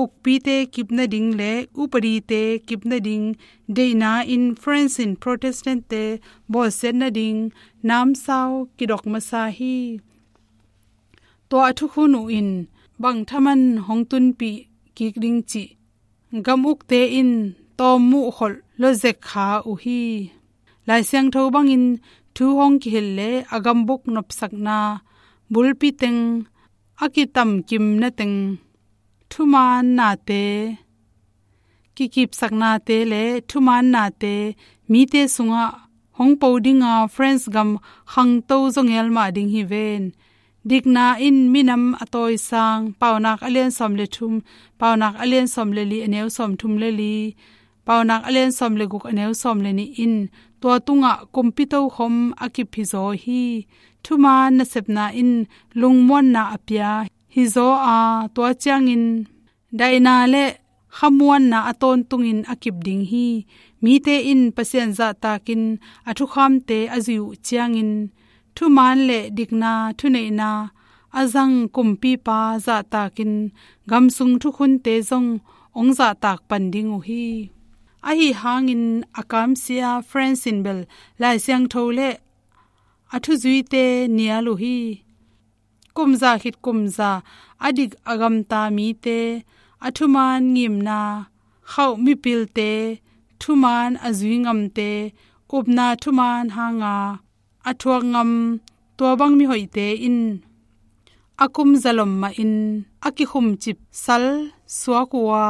ukpite kip nading le upadite kip nading deihna in France in Protestant-te bawlsiat nading namsau kidok masa hi. Tua a thukhun uh in bang thaman hong tunpih kik ding cih gam ukte in tawm muhkholh lawzek kha uh hi. Lai Siangtho bangin thu hong kihilh le a gambuk nopsakna bulpi teng, a kitamkimna teng, thumaannate, kikipsaknate le thumaannate mite sungah hong po dinga France gam khangto zawngel mah ding hi ven. Dikna in minam a tawisang, Paunak a lian sawm le thum, Paunak a lian sawm le li, a neu sawm thum le li, Paunak a lian sawm le guk, a neu sawm le nih in tua tungah kumpi tokhom a kip hizaw hi. Thumaan nasepna in lungmuanna a pia hizaw a, tua ciangin daihna le khamuanna a tawntungin a kip ding hi. Mite in Pasian zahtakin a thukhamte a zui uh ciangin thumaan le dikna thuneihna a zang kumpipa zahtakin gamsung thukhunte zong hong zahtak pan ding uh hi. Ahi hangin a kamsia France in bel Lai Siangtho le a thuzuite nial uh hi. Kumza khit kumza a dik a gamta mite, a thumaan ngimna khauh mipilte, thumaan a zui ngamte, upna thumaan hanga a thuak ngam tua bang mihoihte in a kum zalom mahin a kikhumcip sal suak uh a,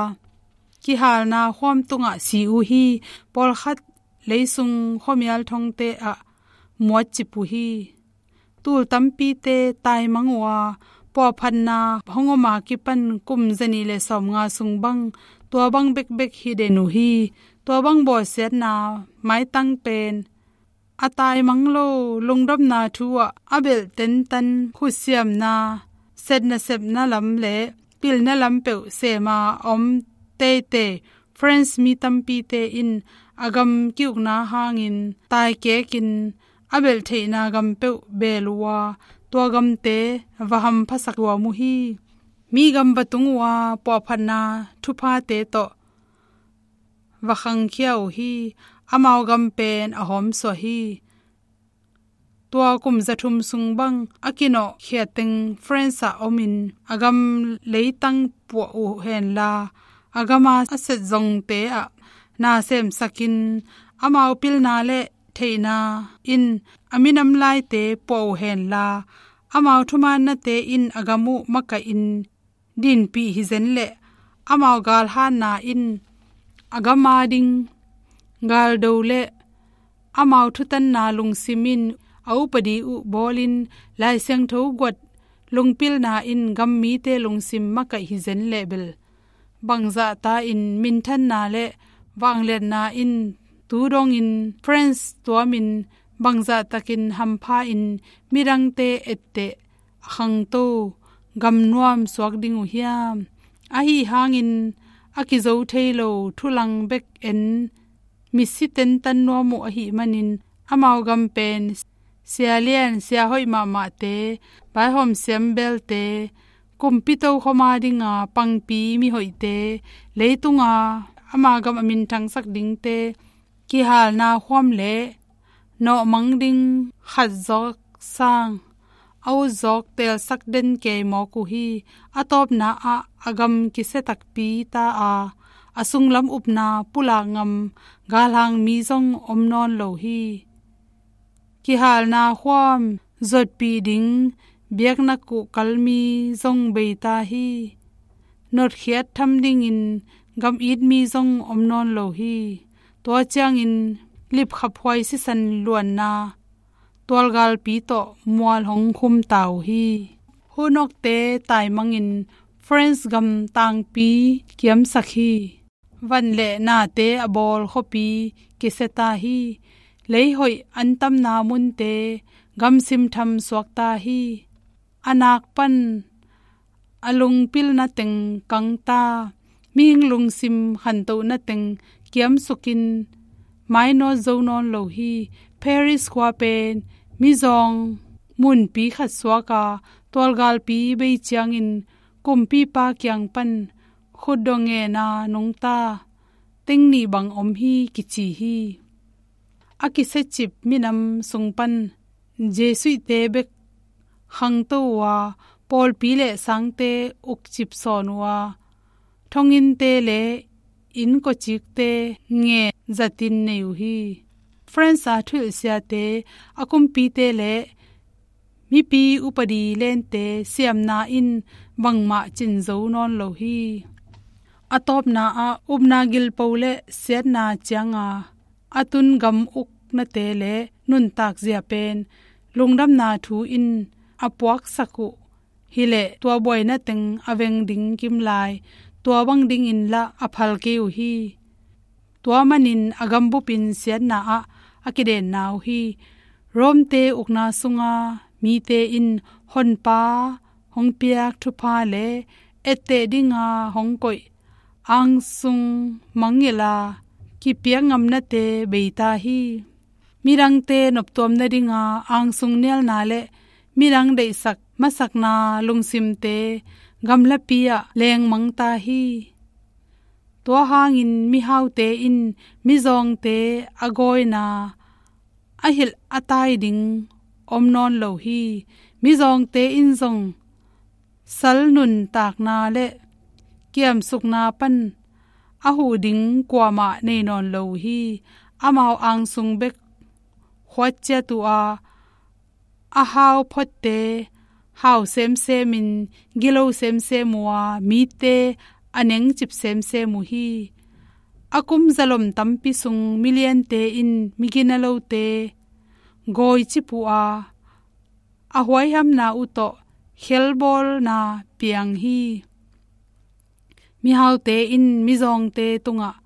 kihalna khuam tungah si uh hi. Pawlkhat leisung khuamial thongte ah muatcip uh hi. Tul tampite taimang uh a, puahphatna hong om a kipan kum zanih le sawmnga sung bang tua bang bekbek hi den uh hi. Tua bang bawlsiatna maitang pen a taimang lo lungdamna thu ah a belh tentan khutsiamna, setna sepna lam le pilna lam peuh sema a om teitei France mi tampite in a gam kiukna hangin taikekin a belh theihna gam peuh beel uh a, tua gamte va hamphasak luam uh hi. Mi gam va tung uh a, puahphatna thuphate tawh va khangkhia uh hi. Amau gam pen a hawmsuah hi. tua kum zathum sung bang a kinawhkhia teng France ah omin a gam leitang puah uh henla, a gama a set zongte ah na semsakin, amau pilna le theihna in a minam laite puah uh henla, amau thumaannate in a gam uh makaihin dinpih hi zen leh, amau galhanna in a gam ading galdo le amau thutanna lungsim in a upadi uh bawlin, Lai Siangtho guat lungpilna in gam mite lungsim makaih hi zen leh bel, bangzahta in minthanna le vangliatna in tu dongin France tuamin, bangzahtakin hampha in midangte etteh a khangto gamnuam suak ding uh hiam? Ahi hangin a kizo thei lo thulang bek en misi tentan nuam uh ahih manin, amau gam pen sialian siahoih mahmahte, vaihawm siambelte, kumpi tokhom a dinga pangpi mihoihte, leitunga ama gam a minthangsak dingte, kihalna khuam le nawhmang ding khat zawk sang a ut zawk teelsak den kei mawk uh hi. A tawpna ah a gam kisia takpi ta a, a sunglam upna pulak ngam galhang mi zong om nawn lo hi. Kihalna khuam zuatpih ding biakna kuhkal mi zong bei ta hi. Notkhiat tham dingin gam it mi zong om nawn lo hi. Tua ciangin lipkhaphuai sisan luanna tualgalpi tawh mual hong khum ta uh hi. Hunawkte taimangin France gam tangpi kiamsak hi. Van le nate a bawl khuapi kisia ta hi. Leihoih antamna munte gamsim tham suak ta hi. A nak pan a lungpilna teng kang ta, mihing lungsim khantohna teng kiamsukin mainawt zo nawn lo hi. Paris khua pen mizawng munpi khat suak a, tualgalpi bei ciangin kumpipa kiang pan khutdawh ngena nungta teng nih bang om hi kici hi. A kisiacip minam sung pan Jesuitte bek khangto uh a, pawlpi le sangte ukcip sawn uh a, thonginte le innkawcikte ngen zatin nei uh hi. France a thuhilhsiate, a kumpite le mipi upadi lente siamna in bangmah cin zo nawn lo hi. A tawpna ah upna gilpo le siatna cianga a tun gam uknate le nuntakzia pen lungdamna thu in a puaksak uh hileh, tua buaina teng a veng ding kimlai, tua bang dingin lah a phal kei uh hi. Tua manin a gambupin siatna ah a kidenna uh hi. Rome-te ukna sunga mite in Honpa hong piak thupha le etteh dinga hong koih angsung mangngilh a kipiak ngamnate bei ta hi. Midangte noptuam nadinga angsung nialna le midang deihsak masakna lungsimte gamlapi ah lengmang ta hi. Tua hangin mihaute in mizawngte a gawina a hilh a tai ding om nawn lo hi. Mizawngte in zong sal nuntakna le kiamsukna pan a huh ding kuamah nei nawn lo uh hi. Amau angsung bek khuat ciat uh a, a hau photte hau semsemin gilo semsem uh a, mite a nengcip semsem uh hi. A kum zalom tampi sung miliante in miginalote gawicip uh a, a huaihamna uh tawh khelbawlna piang hi. Mihaute in mizawngte tungah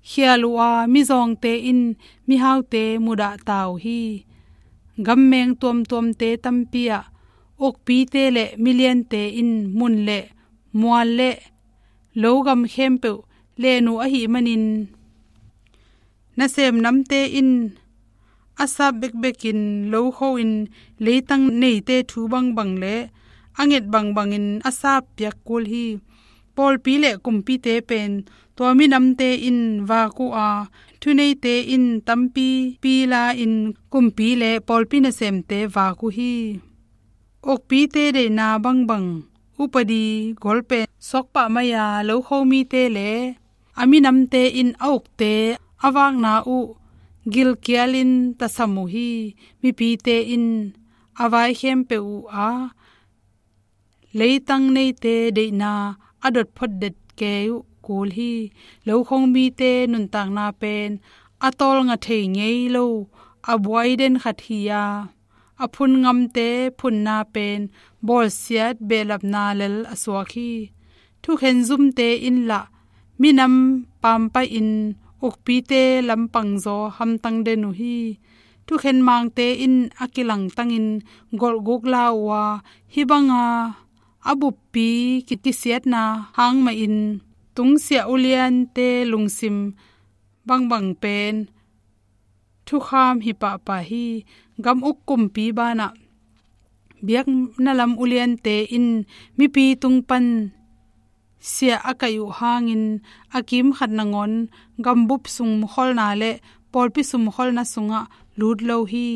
khial uh a, mizawngte in mihaute mudah ta uh hi. Gammeng tuamtuamte tampi ah ukpite le miliante in mun le mual le lo gam khempeuh len uh ahih manin, nasem namte in a sap bekbekin lokho in leitang neite thu bangbang le a nget bangbangin a sap piak kul hi. pawlpi le kumpite pen tua minamte in vak uh a, thuneite in tampi pi la-in kumpi le pawlpi nasemte vak uh hi. Ukpite deihna bangbang upadi gol pen suak pah mai a, lokho mite le a minamte in a ukte a vakna uh gilkialin tasam uh hi. Mipite in a vai khempeuh uh a, leitang neite deihna a dot phot det kei uh kul hi. Lokho mite nuntakna pen a tawlnga thei ngei lo a buai den khat hi a, a phun ngamte phunna pen bawlsiat behlapna lel a suak hi. Thukhen zumte in lah minam pampaih in ukpite lampang zaw hamtang den uh hi. Thukhen mangte in a kilangtangin golhguk la uh a, hih banga a buppi ki- kisiatna hang mahin tungsiah uliante lungsim bangbang pen thukham hi pahpah hi. Gam uk kumpi banah biakna lam uliante in mipi tung pan siah a kaih uh hangin a kimkhat nangawn gambup sung mukholna le pawlpi sung mukholna sungah lut lo hi.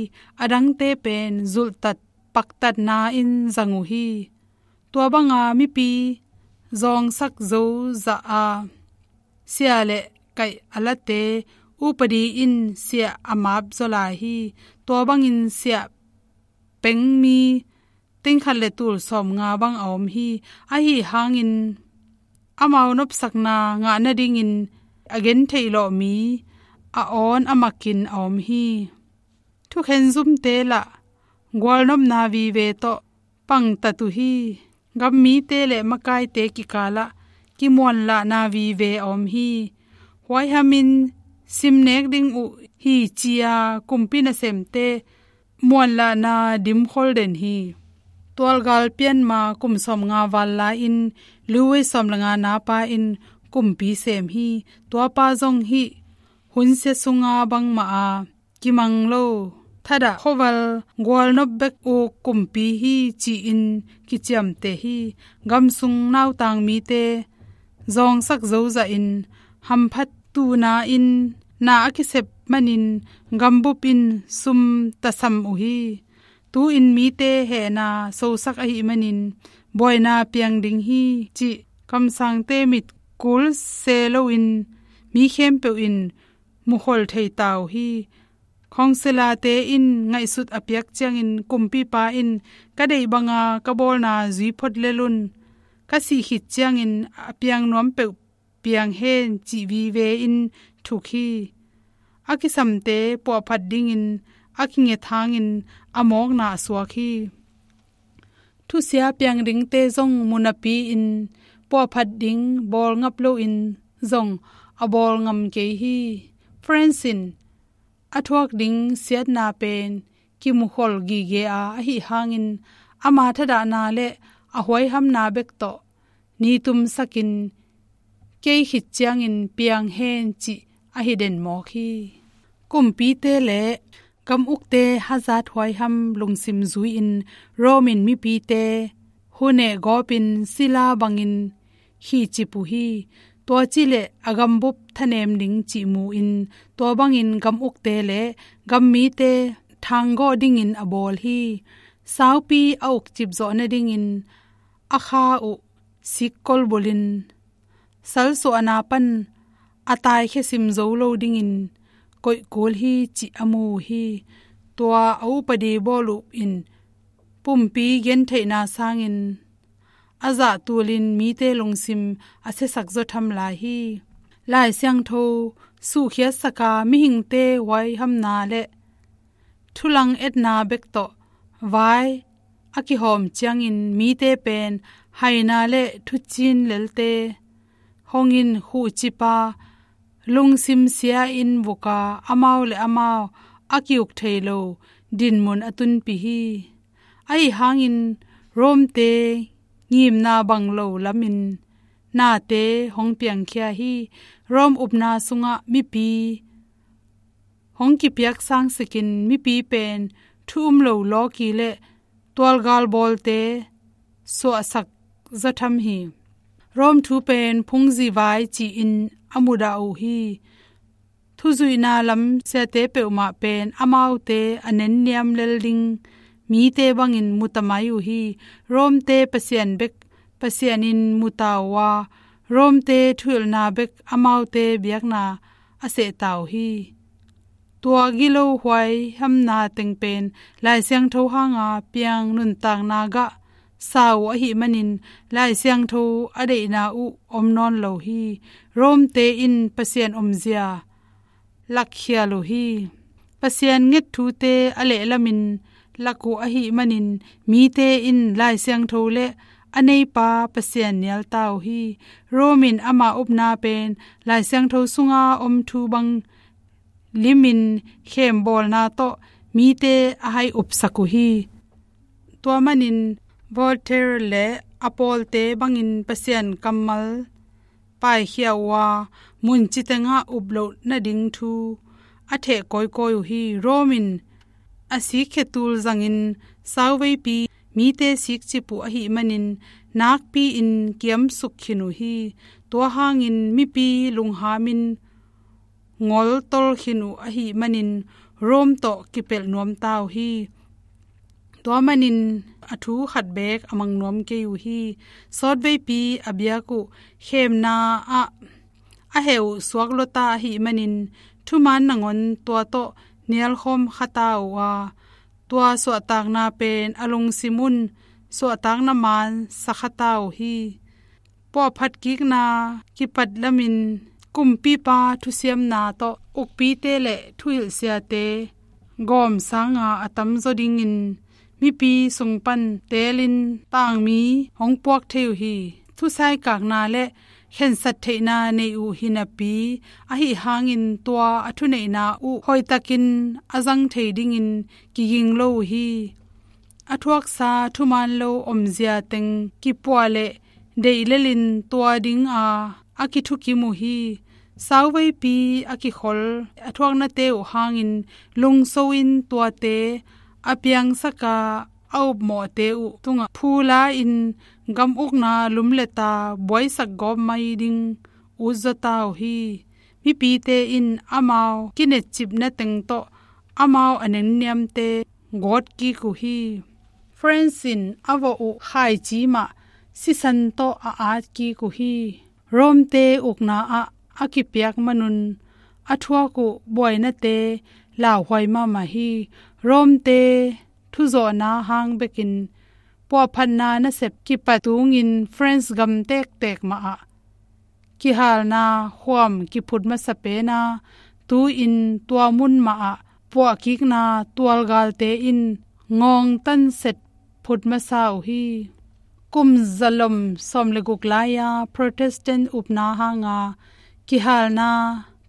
A dangte pen zulhtat paktatna in zang uh hi. Tua banga mipi zawngsak zo zah a, siah le kaih a late upadi in siah a map zaw lai hi. Tua bangin siah peng mi tengkhat le tul sawmnga bang a om hi. Ahi hangin amau nopsakna ngah nadingin a gentheih lawh mi a awn a makin a om hi. Thukhen zumte lah gualnopna vive tawh pangtat uh hi. Gammite le makaite kikalah kimuanlahna vive a om hi. Huaihamin simnek ding uh hi ci-a kumpi nasemte muanlahna dimkhol den hi. Tualgal pianma kum sawmnga val lai-in Louis sawm le nga napa in kumpi sem hi. Tuapa zong hih hunsia sunga bangmah a kimang lo, thadah khuaval gualnop bek uk kumpi hi ci-in kiciamteh hi. Gamsung nautang mite zawngsak zo zahin hamphat tuhna in na a kisep manin gambup in sum tasam uh hi. Tu-in mite hehna sosak ahih manin buaina piang ding hi cih kamsangte mit kul se loin mi khempeuh in mukhol thei ta uh hi. Khawngsilate in ngaihsut a piak ciangin kumpipa in ka deih banga ka bawlna zui phot lel un, ka sih khit ciangin a piang nuam peuh piang hen cih vive in thuk hi. A kisamte puahphat dingin a kinget hangin a mawkna a suak hi. Thusia piang dingte zong munapi-in puahphat ding bawl ngap loin zong a bawl ngam kei hi. Francis in a thuak ding siatna pen kimukhol gige a, ahi hangin ama thadahna le a huaihamna bek tawh ni tumsakin kei khit ciangin piang hen cih ahi den mawk hi. Kumpite le gam ukte hazat huaiham lungsim zui-in Rome in mipite huneh gawpin sila bangin khihcip uh hi. Tua cileh a gambup thanem ding cih mu-in tua bangin gam ukte le gam mite thanggawh dingin a bawl hi. Saupi a ukcip zawh nadingin a kha uh sik kolbulhin salsuahna pan a taikhia sim zo lo dingin koih kul hi cih a mu uh hi. Tua a upadi bawl uh in pumpi gentheihna sangin a zah tulin mite lungsim a siasak zaw tham lai hi. Lai Siangtho suhkhiatsaka mihingte huaihamna le thulang etna bek tawh vai a kihawm ciangin mite pen haina le thucin lelte hongin khuhcipa lungsim sia-in vuka amau le amau a kiuk thei lo dinmun a tunpih hi. Ahi hangin Rome-te ngimna bang lo lamin nate hong piangkhia hi. Rome upna sungah mipi hong kipiak sangsikin mipi pen thu um lo lawki le tualgal bawlte suahsak zaw tham hi. Rome thu pen phungzi vai ci-in a mudah uh hi. Thuzuihna lam siate peuhmah pen amaute a nenniam lel ding mite bangin muta mai uh hi. Rome-te Pasian bek Pasian in muta uh a, Rome-te thuhilhna bek amaute biakna a sehta uh hi. Tua gilo huaihamna teng pen Lai Siangtho hanga piang nuntakna gah sa uh ahih manin Lai Siangtho a deihna uh om nawn lo hi. Rome-te in Pasian omzia lakkhial uh hi. Pasian nget thute a lehlamin lak uh ahih manin mite in Lai Siangtho le a neipa Pasian nialta uh hi. Rome in ama upna pen Lai Siangtho sunga om thu bang limin khembawlna tawh mite a hai upsak uh hi. Tua manin Voltaire le a pawlte bangin Pasian kammal paikhia uh a, munci tengah uploh nading thu a theh kawikawi uh hi. Rome in a sikkhe tul zangin sauveipi mite sikcip uh ahih manin nakpi-in kiamsuk khin uh hi. Tua hangin mipi lunghamin ngoltol khin uh ahih manin Rome tawh kipelh nuamta uh hi. Tua manin a thu khat beek a mang nuam kei uh hi. Sawtveipi a biak uh khemna ah a heh uh suak luata ahih manin thuman nangawn tua tawh nialkhawm khata uh a, tua suahtakna pen a lungsim un suahtakna man sa khata uh hi. Puahphat kikna kipat lamin kumpipa thusiamna tawh ukpite le thuhilhsiate gawm sanga a tamzaw dingin mipi sung pan teelin tangmi hong puak thei uh hi. Thusaikakna le khensat theihna nei uh hi napi, ahi hangin tua a thuneihna uh hoihtakin a zang thei dingin kiging lo uh hi. A thuaksa thuman lo omzia teng kipuah le deih lelin tua dinga a kithukim uh hi. Sauveipi a kikhol a thuaknate uh hangin lungso in tuate a piangsaka a upmawhte uh tungah phula in gam ukna lumleta buaisak gawp mai ding utzawta uh hi. Mipite in amau kinetcipna teng tawh amau a nenniamte gawtkik uh hi. France in a vawh uh khaici mah sisan tawh a atkik uh hi. Rome-te ukna ah a kipiak manun a thuak uh buainate lauhuai mahmah hi. Rome-te thuzawhna hang bekin puahphatna nasep kipat tungin France gam tektek mah ah kihalna khuam kiphut masa pena, tu-in tua mun mah ah puahkikna tualgalte in ngawngtan set phut masa uh hi. Kum zalom sawm le guk lai-a Protestant upna hanga kihalna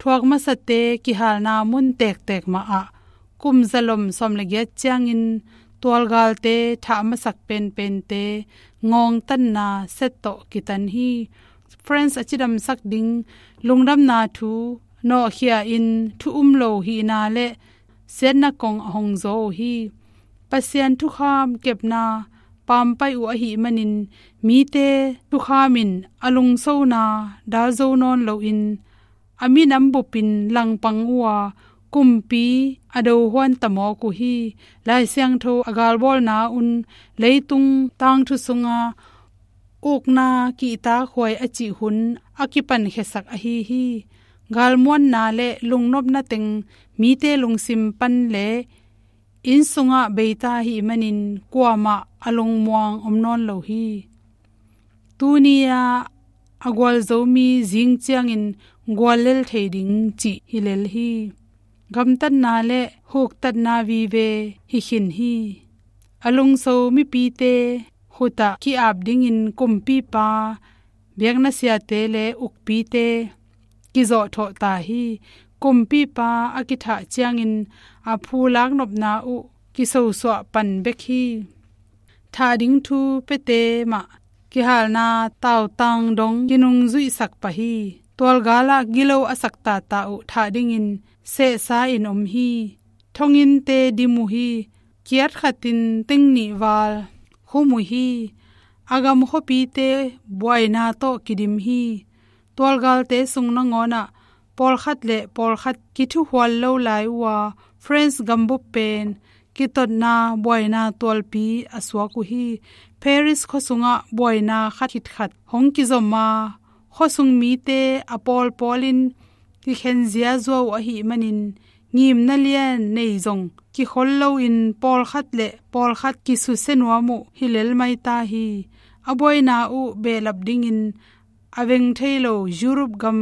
thuak masate kihalna mun tektek mah ah kum zalom sawm le giat ciangin tualgalte thah masak penpente ngawngtanna set tawh kitan hi. France a cidamsak ding lungdamna thu nawhkhia in thu um lo hihna le siatna kong a hong zaw uh hi. Pasian thukham kepna pampai uh ahih manin mite thukham in a lungsona dalzo nawn loin a minam bupin langpang uh a kumpi a dohuan tamawk uh hi. Lai Siangtho a galbawlna un leitung tangthu sunga ukna kihtakhuai a cih hun a kipankhiasak ahi hi. Galmuanna le lungnopna teng mite lungsim pan le inn sungah beita ahih manin kuamah a lungmuang om nawn lo hi. Tuni-a a gualzo mi zing ciangin guallel thei ding cih hi lel hi. Gamtatna le huktatna vive hi khin hi. A lungso mipite khutah ki-ap dingin kumpipa biakna siate le ukpite kizawhthawh ta hi. Kumpipa a kithah ciangin a phulak nopna uh kisosuah pan bek hi. Thah ding thu piate mah kihalna tautang dong kinungzuihsak pah hi. Tualgalah gilo a sak tata uh thah dingin sehsa in om hi. Thonginnte dim uh hi. Kiat khatin teng nih val khum uh hi. a gam khuapite buaina tawh kidim hi. Tualgalte sung nangawnah pawlkhat le pawlkhat kithuhual lo lai uh a, France gambup pen kitotna buaina tualpi a suak uh hi. Paris khua sungah buaina khat khit khat hong kizom a, khuasung mite a pawlpawlin kikhen ziazua uh ahih manin, ngimna lian nei zong kikhol loin pawlkhat le pawlkhat kisusia nuam uh hi lel mai ta hi. A buaina uh behlap dingin a veng thei lo Europe gam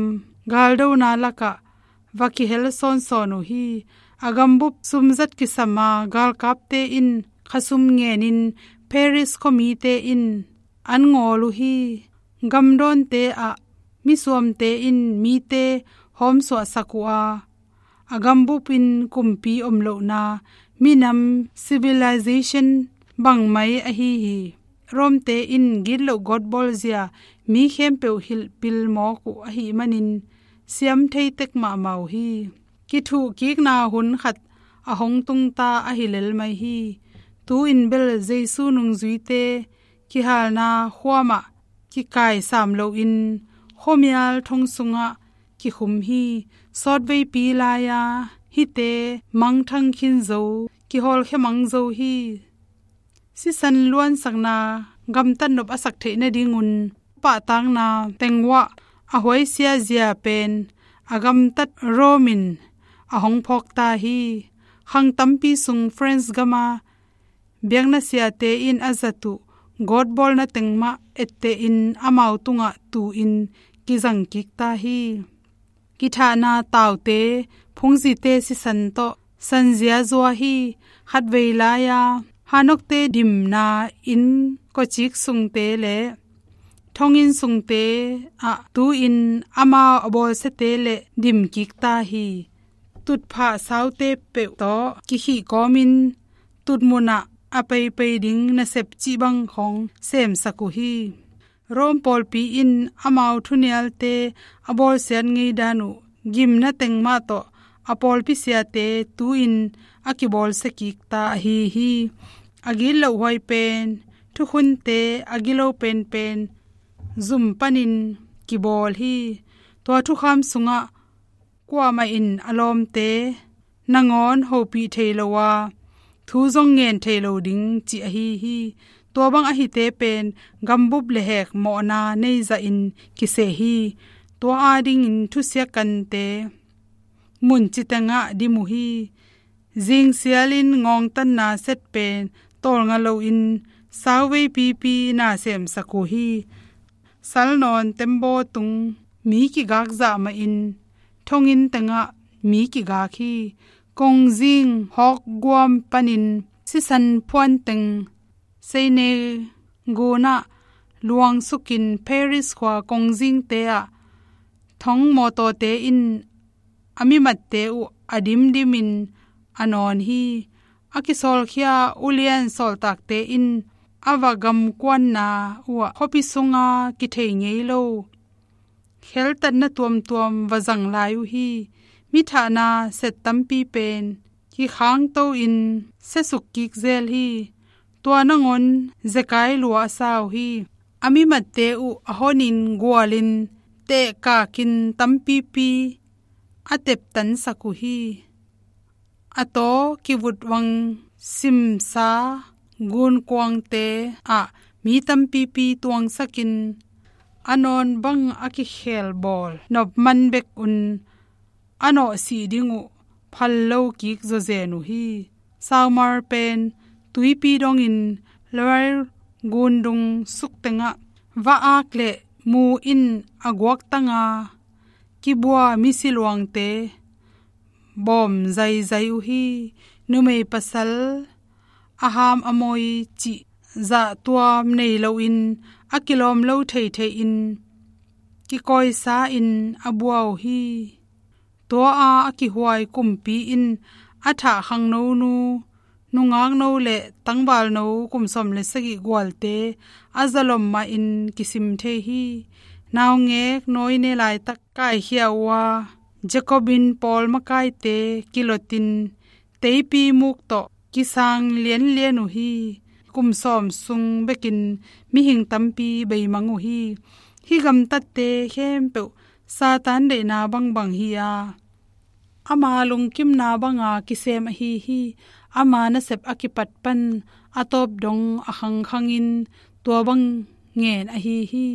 galdona lakah va kihel sawnsawn uh hi. A gambup sumzat kisam a, galkapte in khasum ngenin Paris khuamite in an ngawl uh hi. Gamdawnte ah misuamte in mite hawmsuahsak uh a, a gambup in kumpi om lohna, minam civilization bangmai ahi hi. Romte in gitloh gawtbawlzia mi khempeuh hilhpil mawk uh ahih manin siam thei tek mahmah uh hi. Kithuhkikna hun khat a hong tungta ahi lel mai hi. Tu-in bel Jesu nungzuite kihalna khuamah kikai sam loin khuamial thong sungah kikhum hi. Sawtveipi lai-a hihte mangthang khin zo, kihawlkhia mang zo hi. Sisan luansakna gamtat nop a sak theih nadingun pahtakna teng uah a huaisia zia pen a gamtat Rome in a hong phawkta hi. Khang tampi sung France gama biakna siate in a zat uh gawtbawlna teng mah ettehin amau tungah tu-in kizang kikta hi. Kithahna taute, phungzite sisan tawh sanzia zua hi. Khatvei lai-a hanokte dimna inn kawcik sungte le thonginn sungte ah tu-in amau a bawlsiate le dimkikta hi. Tutphah saute peuh tawh kikhih kawmin tutmunah a peipei ding nasep cih bang khong semsak uh hi. Rome pawlpi in amau thunialte a bawlsiat ngeidan uh gimna teng mah tawh a pawlpi siate tu-in a kibawlsia kikta ahi hi. A gitlohhuai pen, thukhunte a gilo penpen zum panin kibawl hi. Tua thukham sungah kuamah in a lawmte nangawn hopih thei lo a, thu zong ngen thei lo ding cih ahi hi. Tua bang ahite pen gambup le hek mawhna nei zahin kiseh hi. Tua adingin thusia kante mun citengah dim uh hi. Zingsialin ngawngtanna set pen tawlnga loin sauvei pipi na semsak uh hi. Salnawn tembaw tung mi kigak zah mahin thonginn tengah mi kigak hi. Kongzing hawkguam panin sisan phuanteng Seine gunah luangsukin Paris khua kongzingte ah thong mawtawte in a mimatte uh a dimdimin a nawn hi. A kisawlkhia ulian sawltakte in a va gamkuanna uh ah khuapi sunga kithei ngei lo kheltatna tuamtuam va zang lai uh hi. Mithahna set tampi pen kikhangto in siasuk kik zel hi. Tua nangawn zekai lua a sa uh hi. A mimatte uh a honin gualin tehkakin tampipi a teptansak uh hi. A taw kivutvang simsa gunkuangte ah mi tampipi tuangsakin a nawn bang a kikhel bawl nop man bek un a nawhsih ding uh phal lo kik zawzen uh hi. Saumar pen tuipi dongin Loire gundung suktengah va-ak le mu in a guaktanga kibua misi luangte bawm zaizai uh hi. Numei pasal a ham a moi cih zahtuam nei loin a kilawm lo theithei in kikawisa in a bua uh hi. Tua a a kihuai kumpi in a thah khangnonu, nungakno le tangvalno kum sawm le sagih gualte a zalom mahin kisim thei hi. Naungek nawine laitak kaikhia uh a, Jacobin pawl makaite kilotin teipi muk tawh kisang lianlian uh hi. kum sawm sung bekin mihing tampi beimang uh hi. Hih gamtatte khempeuh Satan deihna bangbang hi a, ama lungkimna banga kisem ahi hi. Ama nasep a kipat pan a tawp dong a khangkhangin tua bang ngen ahi hi.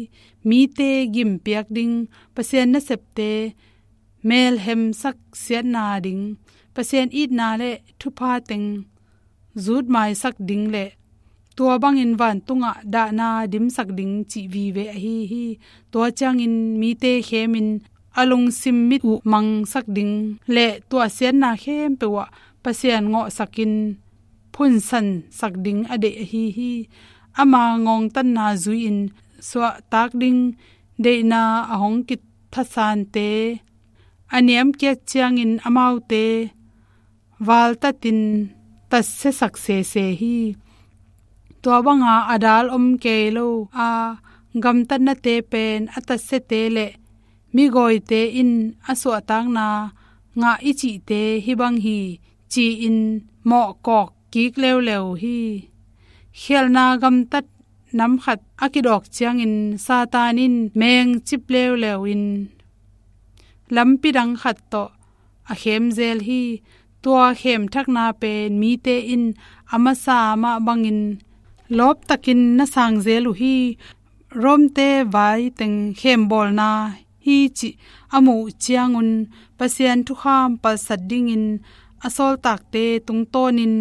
Mite gimpiak ding, Pasian nasepte melhemsak siatna ding, Pasian itna le thupha teng zutmaisak ding le tua bangin vantungah dahna dimsak ding cih vive ahi hi. Tua ciangin mite khemin a lungsim mit uh mangsak ding le tua siatna khempeuh ah Pasian ngawhsakin phunsansak ding a deih ahi hi. Ama ngongtatna zui-in suahtak ding deihna a hong kithatsante a niamkiat ciangin amaute valtatin tatsiasak sese hi. Tua banga a dal om kei lo a gamtatnate pen a tatsiate le migawite in a suahtakna ngah i cihte hih bang hi ci-in mawhkawk kik leuleu hi. Khialhna gamtat nam khat a kidawk ciangin Satan in mengcip leuleu in lampi dang khat tawh a khem zel hi. Tua khemthakna pen mite in a masa mah bangin lawptakin na sang zel uh hi. Romte vai teng khembawlna hi cih a muh uh ciangun Pasian thukham palsat dingin a sawltakte tungtawnin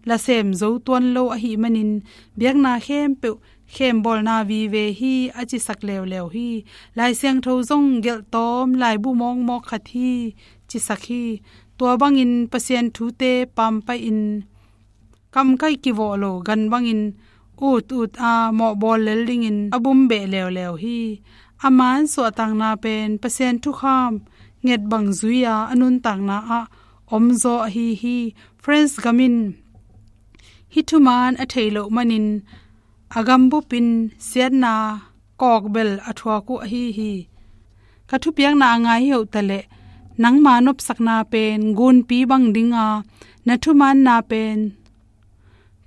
lasem zo tuan lo ahih manin biakna khempeuh khembawlna vive hi a cisak leuleu hi. Lai Siangtho zong gelhtawm laibu mawkmawk khat hi cisak hi. Tua bangin Pasian thute pampaih in kamkaih kivawh lo gan bangin ut ut a mawhbawl lel dingin a bumbeh leuleu hi. A man suahtakna pen Pasian thukham nget bang zui-a a nuntakna ah omzaw ahi hi. France gam in hih thuman a thei loh manin a gambup in siatna kawkbel a thuak uh ahi hi. Ka thupiakna a ngai hi uh taleh nangma nopsakna pen gunpi bang dinga na thumanna pen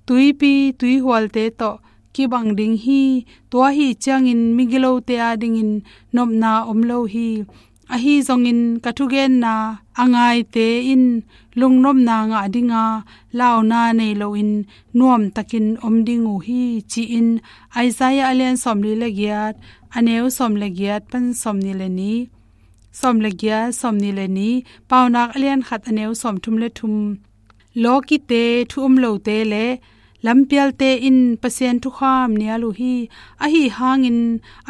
tuipi tuihualte tawh kibang ding hi. Tua hi ciangin migilote adingin nopna om lo hi. Ahi zongin ka thugenna a ngaite in lungnopna ngah dinga launa nei loin nuamtakin om ding uh hi ci-in Isaiah a lian sawmli le giat a neu sawm le giat pan sawmni le nih, sawm le giat, sawmni le nih, Paunak a lian khat a neu sawmthum le thum. Lawkite, thu um lote le lampialte in Pasian thukham nial uh hi. Ahi hangin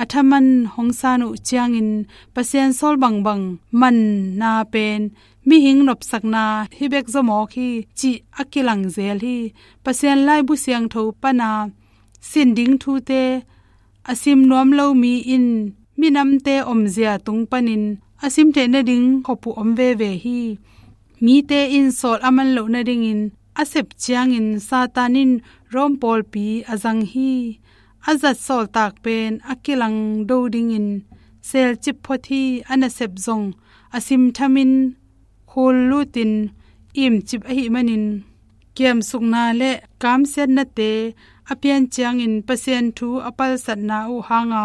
a thaman hong san uh ciangin Pasian sawl bangbang manna pen mihing nopsakna hi bek zaw mawk hi cih a kilang zel hi. Pasian laibu siangtho pana sin ding thute a sim nuam lo mi in minamte omzia tung panin a sim theih nading khop uh om veve hi. Mite in sawl a man loh nadingin a sep ciangin Satan in Rom pawlpi a zang hi. A zat sawltak pen a kilang do dingin selcip phot hi. A nasep zong a sim thamin khul lutin imcip ahih manin kiamsukna le kamsiatnate a pian ciangin Pasian thu a palsatna uh hanga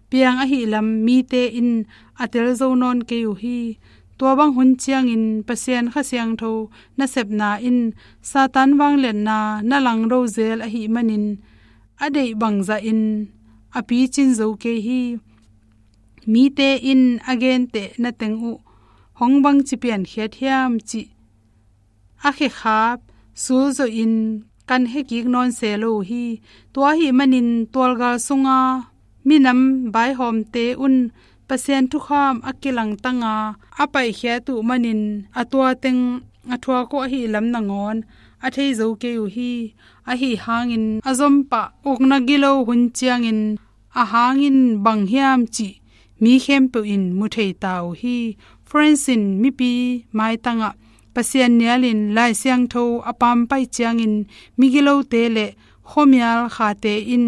piang ahih lam mite in a tel zo nawn kei uh hi. Tua bang hun ciangin Pasian Kha Siangtho nasepna in Satan vangliatna na langdo zel ahih manin a deih bangzahin a picin zo kei hi. Mite in a genteh na teng uh hong bangci piankhiat hiam cih a khekhap sulzohin kan hekik nawn se lo uh hi. Tua ahih manin tualgal sunga minam vaihawmte un Pasian thukham a kilangtanga a paihkhiat uh manin a tua teng a thuak uh ahih lam nangawn a thei zo kei uh hi. Ahi hangin a zompah ukna gilo hun ciangin a hangin bang hiam cih mi khempeuh in mu thei ta uh hi. France in mipi maitangah Pasian nialin Lai Siangtho a pampaih ciangin migilote le khuamial khate in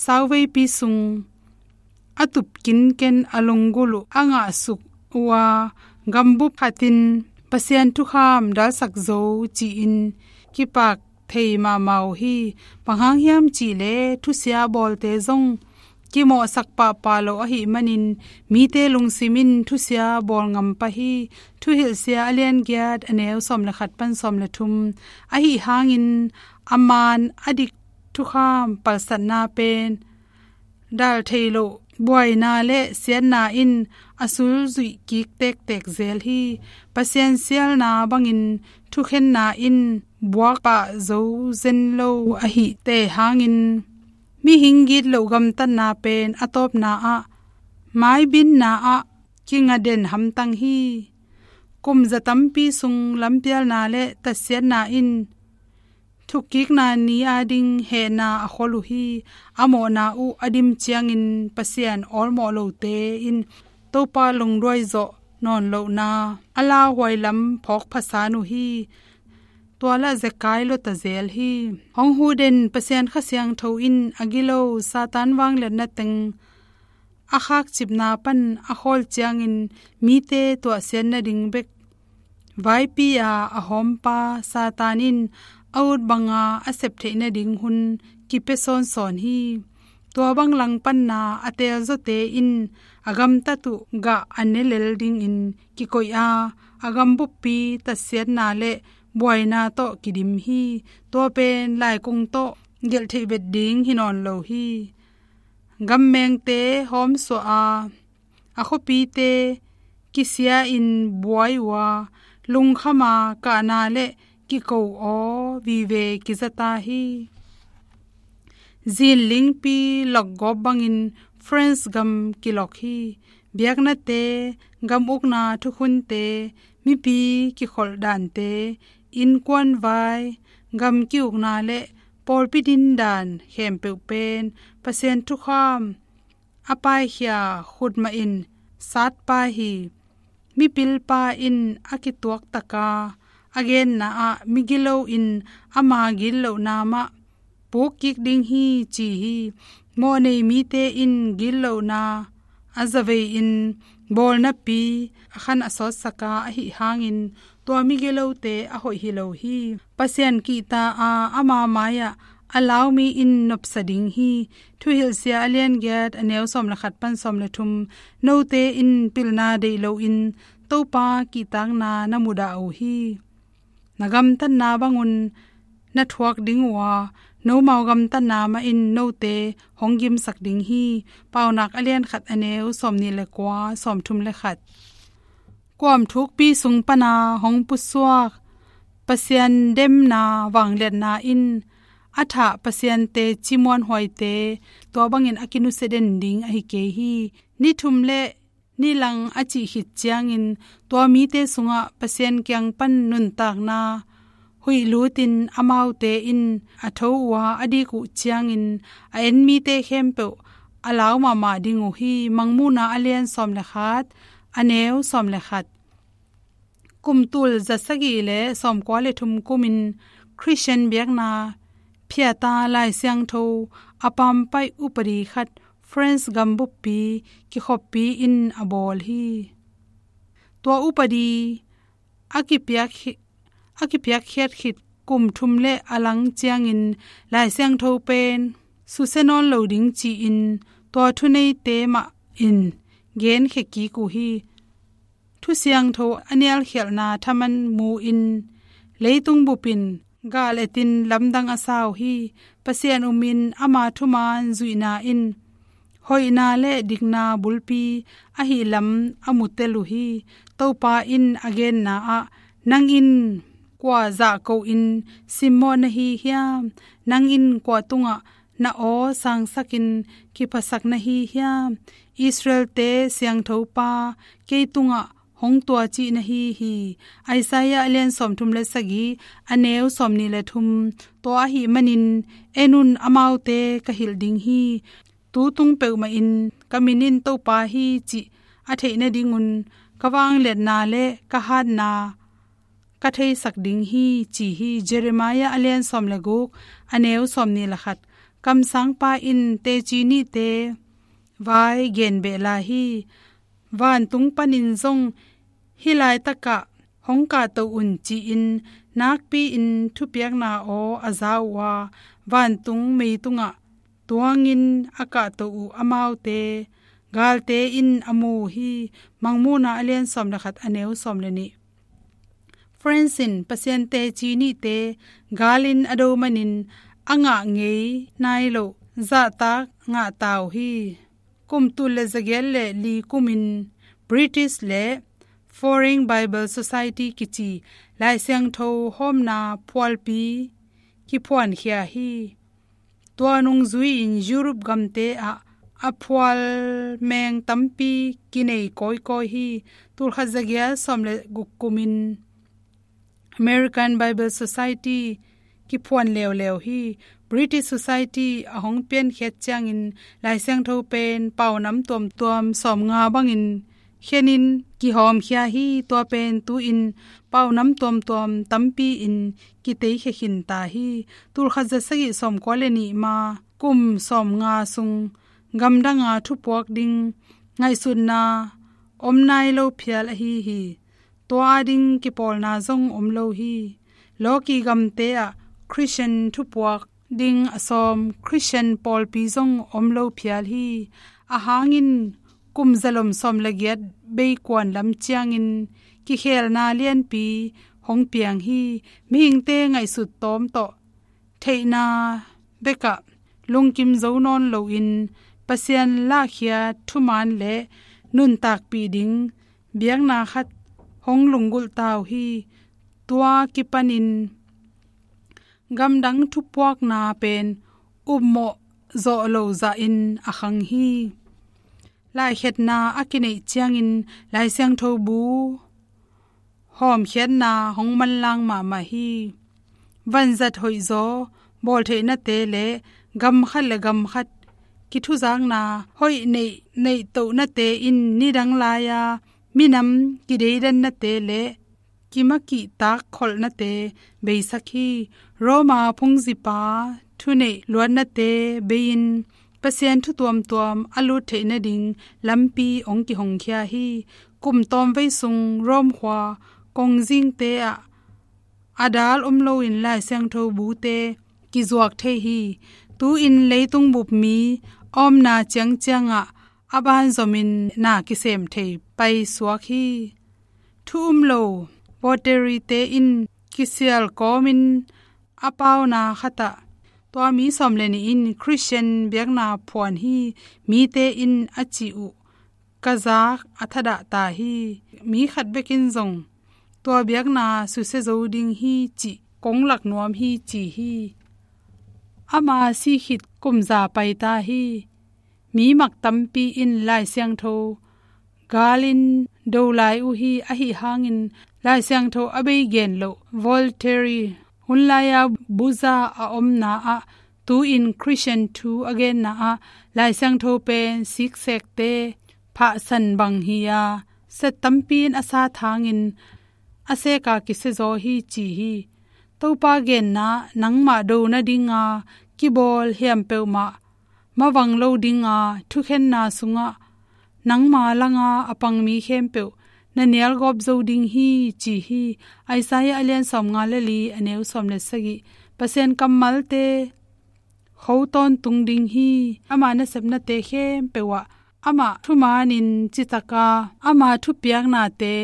sauveipi sung a tup kinken a lunggulh uh a ngahsuk uh a, gambup khatin Pasian thukham dalsak zo ci-in kipak thei mahmah uh hi. Bang hang hiam cih leh thusia bawlte zong kimawhsak pahpah lo ahih manin mite lungsim in thusia bawl ngam pah hi. Thuhilhsia a lian giat, a neu sawm le khat pan sawm le thum. Ahih hangin a man a dik thukham palsatna pen dal thei loh buaina le siatna in a sulzuih kik tektek zel hi. Pasian sialna bangin thukhenna in buak pah zo zen lo ahihte hangin mihing gitloh gamtatna pen a tawpna ah maibinna ah kinga den hamtang hi. Kum za tampi sung lampialna le tatsiatna in thukkikna ni a ding hehna a khol uh hi. A mawhna uh a dim ciangin Pasian awlmawh lote in Topa lungduai zawh nawn lohna a lauhuai lam phawk phasan uh hi. Tua lah zekai lota zel hi. Hong huh den Pasian Kha Siangtho in a gilo Satan vangliatna teng a khakcipna pan a khawl ciangin mite tuahsiat nading bek vaipi a a hawmpa Satan in a ut banga a sep theih nading hun kipia sawnsawn hi. Tua bang langpanna a teelzawte in a gamtat uh gah a ne lel dingin kikoih a, a gambuppi tatsiatna le buaina tawh kidim hi. Tua pen laikung tawh gelh theih bet ding hi nawn lo hi. Gammengte hawmsuah a, a khuapite kisia-in buai uh a, lungkham a kahna le kiko aw vive kizata hi. Zinlingpi lokgawp bangin France gam kilok hi. Biaknate, gam ukna thukhunte, mipi kikholh dante, innkuan vai, gam ki-ukna le pawlpi dindan khempeuh pen Pasian thukham a paikhia khutmah in satpai hi. Mipilpa in a kituaktaka a genna ah migilo in ama gitlohna mah pukkik ding hi ci hi. Mawhnei mite in gitlohna a zavei in bawlnapi a khan a sawtsaka ahih hangin tua migilote a hoih hi lo hi. Pasian kihta a ama mai-ah a laumi in nopsa ding hi. Thuhilhsia a lian giat, a neu sawm le khat pan sawm le thum. Note in pilna deih loin Topa kihtakna na mudah uh hi. Na gamtatna bangun na thuak ding uh a, nomau gamtatna mah in note hong gimsak ding hi. Paunak a lian khat, a neu sawmnih le kua, sawmthum le khat. Kuam thukpi sung pana hong pusuak Pasian demna vangliatna in a thah Pasian teci muanhuaite tua bangin a kinusia den ding ahi kei hi. Ni thum le ni lang a cih khit ciangin tua mite sungah Pasian kiang pan nuntakna huih lutin amaute in a tho uh a, a dik uh ciangin a en mite khempeuh a lau mahmah ding uh hi. Mangmuhna a lian sawm le khat, a neu sawm le khat. Kum tul za sagih le sawmkua le thum kumin Khristian biakna phiata Lai Siangtho a pampaih upadi khat France gambuppi kikhoppi in a bawl hi. Tua upadi a kipiak khi-, a kipiakkhiat khit kum thum le a lang ciangin Lai Siangtho pen susia nawn lo ding ci-in tua thuneite mah in genkhia kik uh hi. Thu Siangtho a nialkhialhna thaman mu-in leitung bupin gal etin lamdang a sa uh hi. Pasian umin ama thuman zuihna in hoihna le dikna bulpi ahi lam a mutel uh hi. Topa in a genna ah, "Nang in kua zahko in simmawh na hi hiam? Nang in kua tungah na aw sangsakin kiphasak na hi hiam? Israelte Siangthopa kei tungah hong tua cih na hi hi." Isaiah a lian sawmthum le sagih, a neu sawmnih le thum. Tua ahih manin en un, amaute ka hilh ding hi. Tu tung peuhmah in ka min in Topa hi cih a theih nadingun ka vangliatna le ka hatna ka theisak ding hi ci hi. Jeremiah a lian sawm le guk, a neu sawmnih le khat. Kamsangpa in teci nihte vai gen beh lai hi. Vantung panin zong hih laitakah hong kahto un ci-in nakpi-in thupiakna aw a za uh a, vantung meitungah tuangin a kahto uh amaute galte in a mu uh hi. Mangmuhna a lian sawm le khat, a neu sawm le nih. Francis in Pasian teci nihte galin a do manin a ngah ngei nai loh zahtak ngah ta uh hi. Kum tul le zagiat le li kumin British le Foreign Bible Society kici Lai Siangtho hawmna phualpi kiphuankhia hi. Tua nungzui-in Europe gamte ah a phual meng tampi kinei kawikawi hi. Tul khat zagiat sawm le guk kumin American Bible Society kiphuan leuleu hi. British Society a hong piankhiat ciangin Lai Siangtho pen paunam tuamtuam sawmnga bangin khenin kihawmkhia hi. Tua pen tu-in paunam tuamtuam tampi-in kiteikhia khin ta hi. Tul khat za sagih sawmkua le nih ma kum sawmnga sung gamdanga thupuak ding ngaihsutna om nai lo phial ahi hi. Tua ading kipawlna zong om lo hi. Lawki gamte ah Christian thupuak ding a sawm Christian pawlpi zong om lo phial hi. A hangin kum zalom sawm le giat bei kuan lam ciangin kikhelna lianpi hong piang hi. Mihingte ngaihsut tawm tawh theihna bekah lungkim zo nawn loin Pasian lahkhiat thuman le nuntakpih ding biakna khat hong lunggulh ta uh hi. Tua kipanin gamdang thupuakna pen upmawh zawh lo zahin a khang hi. Laikhetna a kineih ciangin Lai Siangtho bu hawmkhiatna hong manlang mahmah hi. Vanzat hoihzaw bawltheihnate le gam khat le gam khat kithuzakna hoih neih neihtohnate in nidang lai-a minam kideidannate le kimakihtak kholhnate beisak hi. Roma phungzipa thuneih luatnate bei-in Pasian thu tuamtuam a lut theih nading lampi hong kihongkhia hi. Kum tawmvei sung Rome khua kongzingte ah a dal om loin Lai Siangtho bute kizuak thei hi. Tu-in leitung bup mi a omna ciangciangah a banzomin na kisem thei paisuak hi. Thu um lo Voltaire-te in kisial kawmin a pauna khatah tua mi sawm le nih in Christian biakna phuan hi. Mite in a cih uh ka zak a thadah ta hi. Mi khat bekin zong tua biakna susia zo ding hi cih kong lak nuam hi ci hi. Ama si khit kum za pai ta hi. Mi mak tampi in Lai Siangtho galin do lai uh hi. Ahi hangin Lai Siangtho a bei gen loh Voltaire hun lai-a buza a omna ah tu-in Christian thu a genna ah Lai Siangtho pen siksekte phahsan bang hi-a set tampi in a sat hangin a seka kisia zaw hi ci hi. Topa genna nangmah do nadinga kibawl hiam peuhmah mavang lo dinga thukhenna sungah nangma langa a pang mi khempeuh na nialgawp zo ding hi ci hi. Isaiah a lian sawmnga le li, a neu sawm le sagih. Pasian kammalte kho tawntung ding hi. Ama nasepnate khempeuh ah amah thumanin citaka ama thupiaknate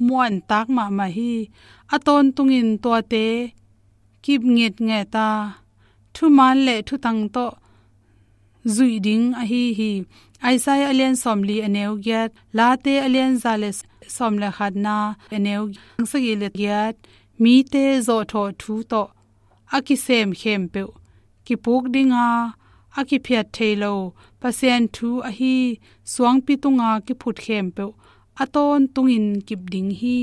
muantak mahmah hi. A tawntungin tuate kip ngitnget a thuman le thutang tawh zuih ding ahi hi. Isaiah a lian sawmli, a neu giat, Late a lian za le sawm le khatna, a neu sagih le giat, mite zawhthawh thu tawh a kisem khempeuh kipuk dinga, a kiphiat thei lo Pasian thu ahi suangpi tunga kiphut khempeuh a tawntungin kip ding hi.